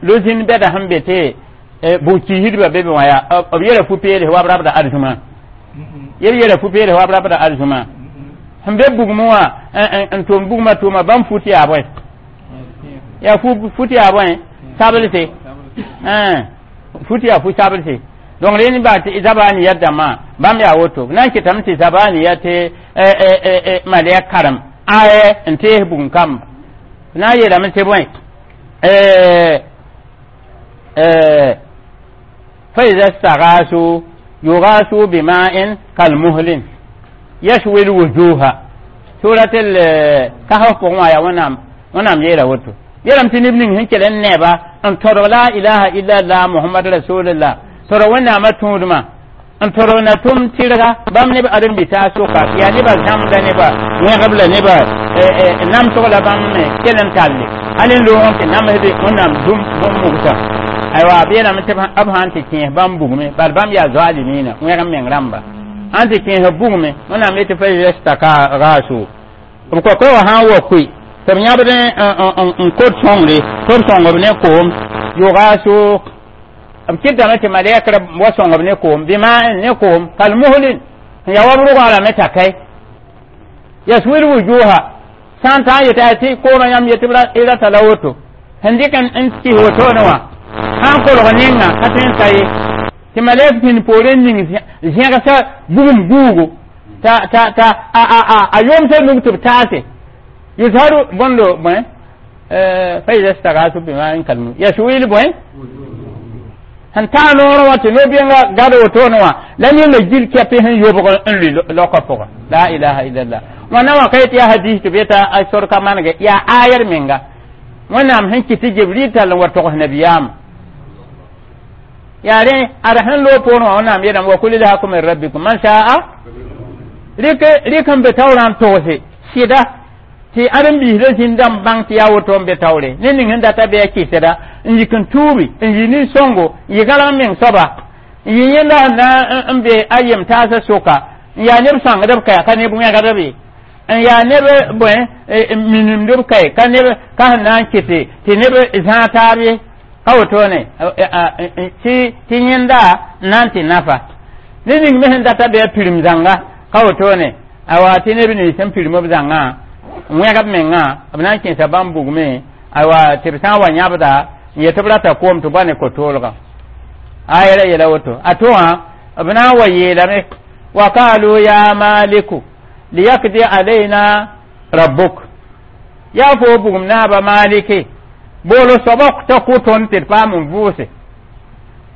lo-zĩnd bɛda sẽn be tɩ bug-kiisdbã be be wã yaa b yɛla fu-peels wa b rabda arzũmã yeb yɛla fu-peels wa b rabda arzũmã sẽn be bugmẽ wã n tʋm bugmã tʋʋma bãmb fut yaa bõe yaa fut yaa bõe sablse fut yaa fu-sablse donc rẽnd ba tɩ zabaniyat dãmbã bãmb yaa woto na n kɩtame tɩ zabaniyat tɩ malɛk karem aya n tees bugum kamba na n yeelame tɩ bõe فإذا استغاثوا يغاثوا بماء كالمهل يشوي الوجوه سورة الكهف pʋgẽ wã yaa wẽnnaam wẽnnaam yeela woto yeelame tɩ neb ning sẽn kell n neba n todg la ilaha illallah muhammad rasulullah todg wẽnnaamã tũudmã n todg na tʋm tɩrga bãmb neb ãdem-bitaa sʋka yaa nebã zãmda nebã wẽgb la nebã namsg la bãmb me kell n talle hal n loog n tɩ namsd wẽnnaam dũm bũmb mugsa aywa b yeelame tɩ b sã n tɩ kẽes bãmb bugme bal bãmb yaa zoalimina wẽg n meng rãmba sãn tɩ kẽes b bugme wẽnnaam yetɩ fa yestaka raaso b kokoe wã sã n wa koe tɩ b yãbd n kot sõngre tɩ b sõng b ne koom yʋgaaso B kɩtame tɩ malɛkra wa sõng b ne koom bɩma ne koom kalmuhlin sẽn yaa wa b rʋgã rame t'a kai yaswil wujuha sã n tã n yeta tɩ koomã yãmb yetɩ b rata la woto sẽn dɩk n kis wotone wã sã n kolg ninga ka tõe n ta ye tɩ malɛk pĩnd poore n ning zẽgsa bugum guugu ta ta ta a a a a yomsa nug tɩ b taase yuzharu bõndo bõe fa ida stagasu bima'in kalmu yaswil bõe sẽn taa noorẽ wã tɩ no-bẽnga gad wotone wã la ninga gil kɛpɩ sẽn yobg n lʋɩ laokã pʋgã la ilaha illallah wãnna wã ka yetɩ yaa hadis tɩ b yeta a sor ka manege yaa ayɛr menga wẽnnaam sẽn kɩt tɩ jibril tall n wa togs nabiyaamã yaa rẽ ad sẽn loog poorẽ wã wẽnnaam yeelame wa kul ilhaku min rabbikum man sha'a rɩk rɩk n be taoorã n togse sɩda tɩ ãdem-biisdã zĩnd n bãng tɩ yaa woto n be taoore ne ning sẽn data bɩ a kɩsda n yik n tuubi n yi nin-sõngo n yɩ gãlg meng soaba n yɩ yẽnda sẽn na n be a yem taasã soka n yaa neb sõangd b kaya ka neb wẽgdb ye n yaa neb bõe minimd b kae ka neb ka sẽn na n kɩte tɩ neb zãag taab ye ka wotone tɩ tɩ yẽnda n na n tɩ nafa ne ning me sẽn data bɩ a pirim zãnga ka wotone awa tɩ neb nins sẽn pirim b zãngã n wẽg b mengã b na n kẽesa bãmb bugme awa tɩ b sã n wa yãbda n yet b rata koom tɩ ba ne ko-toolgã a yɛla yɛla woto a to wã b na n wa yeelame wa kalu ya maliku liyakdi alayna rabbuk yaa fo bugum naaba maliki boolo soaba t'a kʋ tõnd tɩ d paam n vʋʋse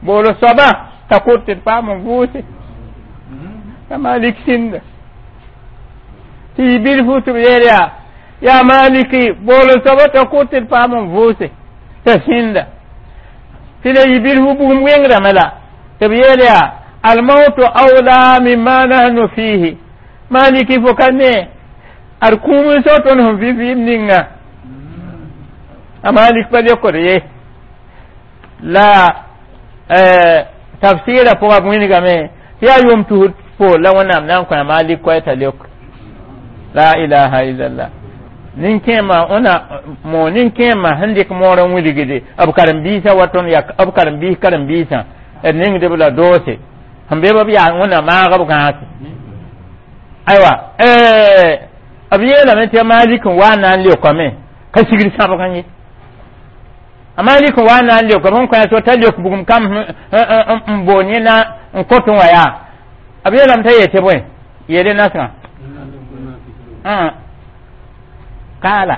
boolo soaba t'a kʋ tɩ d paam n vʋʋse ya malik sĩnda tɩ yɩ bilfu tɩ b yeel yaa yaa maliki boolo soaba t'a kʋ tɩ d paam n vʋʋse t'a sĩnda tɩ la yɩ bilfu bugum wẽngdame la tɩ b yeel yaa almautu awla mimma nahnu fihi maliki fo ka ne ad kũum n sao tõnd sẽn vɩ vɩɩm ninga a malik pa leokd ye la tafsɩɩrã pʋga b wĩnigame tɩ yaa yʋʋm tusd poor la wẽnnaam na n kõ a malik koɛ t'a leok la ilaha illallah nin-kẽemã ona mo nin-kẽemã sẽn dɩk moor n wilgde b karen-biisã wa tõnd yaa b karen-biis karen-biisã d ningdb la doose sẽn be b yaa wẽnna maag b gãase aywa b yeelame tɩ a malik n wa n na n leokame ka sigr sãbgã ye a malik n wa n na n leoka bõn kõ so t'a leok bugum kam n boon yẽ na n kõt n wa yaa b yeelame t'a yetɩ bõe yeele nasgã kala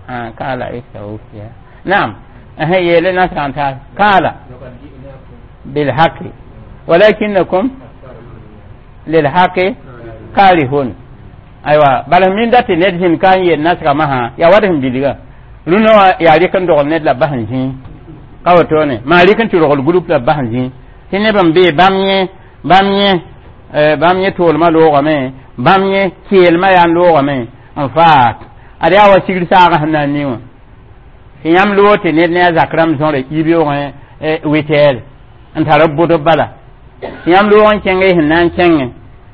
a kala ikhsa'u fiha naam yeele nasgã n taas kala bilhaqi walakinnakum lilhaqi karihun aywa bala min dati ned sẽn ka n yel nasgã masã yaa wat sẽn bilga rũnã wã yaa rɩk n dogl ned la b bas n zĩig ka wotone maa rɩk n tɩ rogl group la b bas n zĩig tɩ neb n bee bãmb yẽ bãmb yẽ bãmb yẽ toolmã loogame bãmb yẽ keelmã yaa n loogame n faak ad yaa wa sigr saagã sẽn na n ni wã tɩ yãmb loog tɩ ned ne a zak rãmb zõre yibeoogẽ wɩtɛɛre n tar b bʋdb bala tɩ yãmb loog n kẽng y sẽn na n kẽngẽ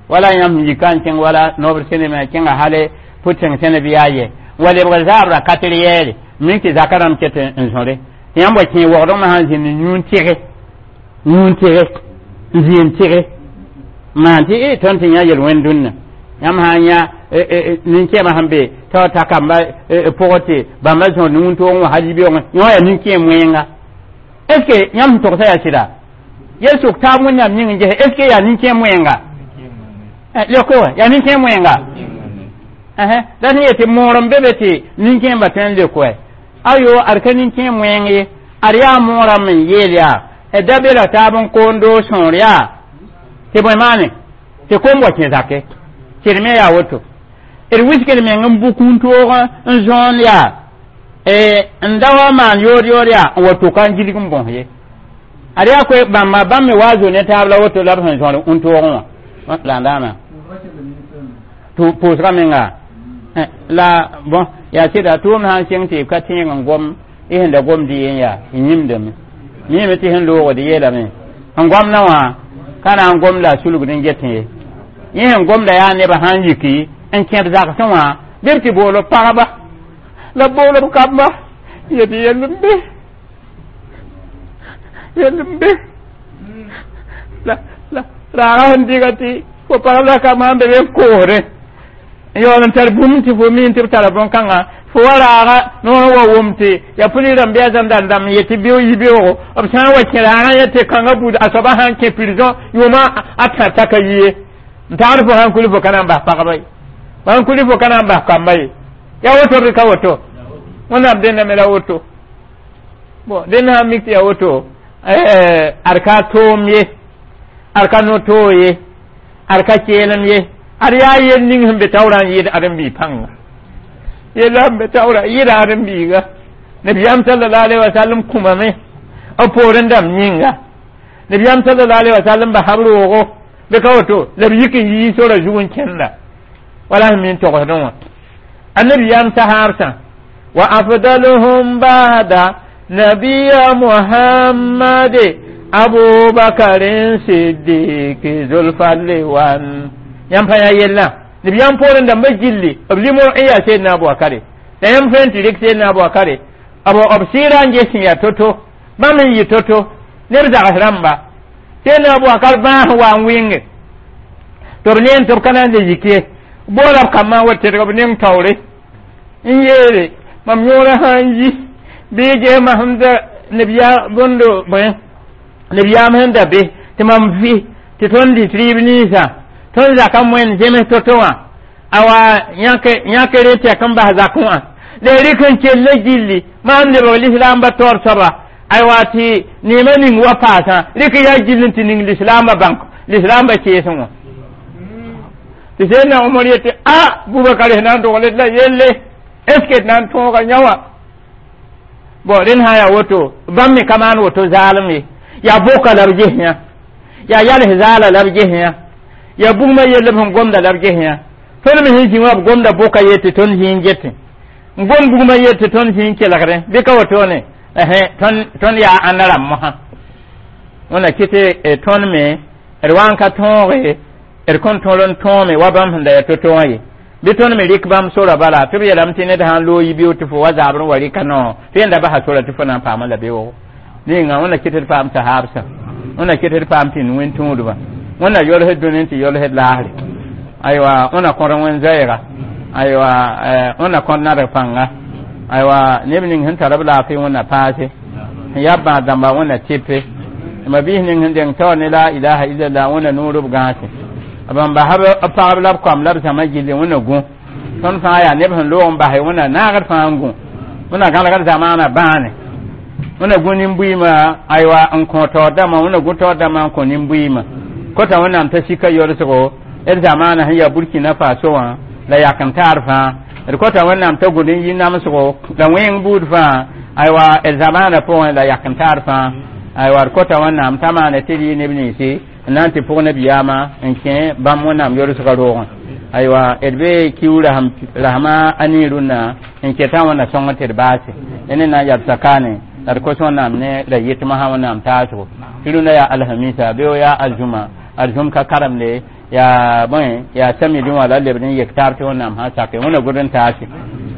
wala yãmb sẽn yika n kẽng wala noobr sẽneme kẽnga hale pʋtẽng sẽneb yaa yɛ wa lebg zaabra katr yɛɛre mink tɩ zaka rãmb ket n zõre tɩ yãmb wa kẽ waoodgmã sãn zĩnd yũun tɩge yũun tɩge n zĩend tɩge maan tɩ e tõnd tɩ yã yel-wẽnd dũnna yãmb sã n yã nin-kẽemã sẽn be t'a ta kamba pʋgẽ tɩ bãmba zõr wũntoogẽ wã hal yibeoogẽ yõ yaa nin-kẽem wẽnga est ce que yãmb sẽn togsã yaa sɩda yel sʋk taab wẽnnaam ning n gese est ce que yaa nin-kẽem wẽnga leoke wa yaa nin-kẽem wẽnga la sẽn yetɩ moor n be be tɩ nin-kẽembã tõe n leok wa ayo ad ka nin-kẽem wẽng ye ad yaa moorã me n yeel yaa d da be la taab n koond sõor yaa tɩ bõe maane tɩ kom wa kẽ zake tɩ d me yaa woto d wiskd meng n bʋk wũntoog n zõond yaa n da wa maan yood yood yaa n wa tʋka n gilg n bõs ye ad yaa koe bãmba bãmb me wa zo ne taab la woto la b sẽn zõr wũntoogẽ wã la n daama pʋʋsga menga la bon yaa sɩda tʋʋmd sã n sɩng tɩ ka tẽeg n gom y sẽn da gomd yen yaa y yĩmdame miime tɩ sẽn loogd yeelame n gomdã wã ka na n gom la a sulgd n getẽ ye yẽ sẽn gomda yaa nebã sã n yiki n kẽb zagsẽ wã bɩ b tɩ bool pagba La bool b kamba yet yell n be yell n be la la raaga sẽn dɩga tɩ fo pagb la ka maan be be n koosdẽ n yaool n tar bũmb tɩ fo mi tɩ b tara bõn-kãngã fo wa raaga noor wa wʋm tɩ yaa pʋlis rãmb bɩ a zãmb dãn dãmb n yet tɩ beoog yi beoogo b sã n wa kẽ raagã yet tɩ kãngã buud a soaba sã n kẽ prison yʋʋmã a tã t'a ka yi ye n tagd fo sãn kuli fo ka na n bas pagba ye sãn kuli fo ka na n bas kamba ye yaa woto bɩ ka woto wẽnnaam dẽnda me la woto bon dẽnd sã n mik tɩ yaa woto ad ka toom ye ad ka no-toog ye ad ka keelem ye ad yaa yel ning sẽn be taoorã n yɩɩd ãdem-biig pãnga yella sẽn be taoorã yɩɩda ãdem-biiga nabiyaam sallallahu alaihi wasallam kũmame b poorẽ dãmb yĩnga nabiyaam sallallahu alaihi wasallam basa b roogo bɩ ka woto la b yik n yii sora zug n kẽnda wala sẽn min togsdẽ wã annabiyaam sahaabsã wa afdaluhum ba'da nabiya muhammad abubakarin siddiqi zulfadli wan yãmb pa yaa yellã nabiyaam poorẽ dãmbã gilli b limor n yaa seedna abubakare la yãmb tõe n tɩ rɩk seedna abubakare b b sɩɩra n ges sẽn yaa to-to bãmb n yɩ to-to neb zags rãmba seedna abubakar bãas n wa n wɩnge tɩ b neen tɩ b ka na n le yik ye boola b kambã n wa tedg b neng taoore n yeele mam yõorã sã n yi bɩ gesma sẽn da nabiyaam bõndo bõe nabiyaam sẽn da be tɩ mam vɩ tɩ tõnd dɩt rɩɩb ninsã tõnd zaka moen zems to-to wã awa yãkre tɛk n bas zakẽ wã la rɩk n kell gilli maam lebg lislaambã taoor soaba aywa tɩ neemã ning wa paasã rɩk yaa gill n tɩ ning lislaambã bãnk lislaambã keesẽ wã tɩ sẽdna Omar yetɩ a Bubakar sẽn na n dogl d la yelle est ce que d na n tõoga yã wã bon rẽnd sã n yaa woto bãmb me ka maan woto zaalem ye yaa boka la b ges yã yaa yals zaala la b ges yã yaa bugmã yell b sẽn gomda la b ges yã tõnd me sẽn zĩ wã b gomda boka yet tɩ tõnd zĩ n getẽ n gom bugmã yet tɩ tõnd zĩ n kelgdẽ bɩ ka wotone tõnd yaa ãnna rãmb mosã wẽnna kɩ tɩ tõnd me d wa n ka tõoge d kõn tõr n tõome wa bãmb sẽn da yaa to-to wã ye bɩ tõnd me rɩk bãmb sora bala tɩ b yeelame tɩ ned sã n loog yibeoog tɩ fo wa zabr n wa rɩka noor tɩ yẽnda basa sora tɩ fo na n paamã la beoogo ninga wẽnna kɩ tɩ d paam sahaabsã wẽnna kɩ tɩ d paam tɩ wẽn tũudbã wẽnna yolsd dũni tɩ yolsd laasre aywa wẽnna kõd wẽn zoɛɛga aywa wẽnna kõd nadg pãnga aywa neb ning sẽn tar b laafɩ wẽnna paase sẽn yaa bãad dãmba wẽnna tɩpe ma biis ning sẽn deng taoor ne la ilaha illallah wẽnna noor b gãase bãmb basa b pagb la b koam la b zãma gilli wẽnna gũ tõnd fãa yaa neb sẽn loog n base wẽnna naagd fãa n gũ wẽnna gãlgd zamaana bãane wẽnna gũ nin-buiimã aywa n kõ taoor dãmbã wẽnna gũ taoor dãmbã n kõ nin-buiimã kota wẽnnaam t'a sika yolsgo d zamaana sẽn yaa Burkina Faso wã la yak n taar fãa d kota wẽnnaam t'a gũd n yi namsgo la wẽng buud fãa aywa d zamaana pʋgẽ la yak n taar fãa aywa d kota wẽnnaam t'a maana tɩ d yɩ neb ninsi n na n tɩ pʋg nabiyaamã n kẽ bãmb wẽnnaam yolsgã roogẽ aywa d be kiu rasma a nii rũnnã n ketã wẽnna sõng tɩ d baase ne na n yab sakane la d kos wẽnnaam ne la yɩtmã sã wẽnnaam taasgo tɩ rũndã yaa alhamisa beo yaa aljuma aljum ka karemde yaa bõe yaa samedi wã la lebd n yek taab tɩ wẽnnaam sã sake wẽnna gʋd n taase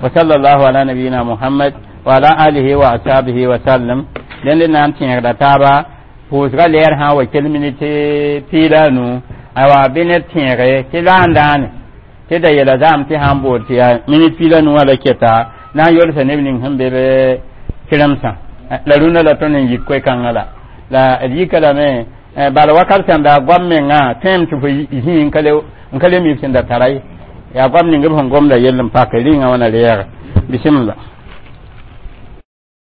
wa sallallahu ala nabiyina muhammad wa ala alihi wa ashabihi wa sallam dẽnd na n tẽegda taaba pʋʋsga lɛɛr sã wa kell minit piila a nu aywa bɩ ned tẽege tɩ la n dãane tɩ da yeela zaam tɩ sã n bool tɩ yaa minit piila nu wã la keta na n yolsa neb ning sẽn be be kɩremsã la rũndã la tõnd n yik koe-kãngã la la d yika lame bala wakat sẽn da goam mengã tõem tɩ fo zĩig n ka le mi b sẽn da tara ye yaa goam ning b sẽn gomda yell n pak rĩngã wãna reɛɛga bisimilla.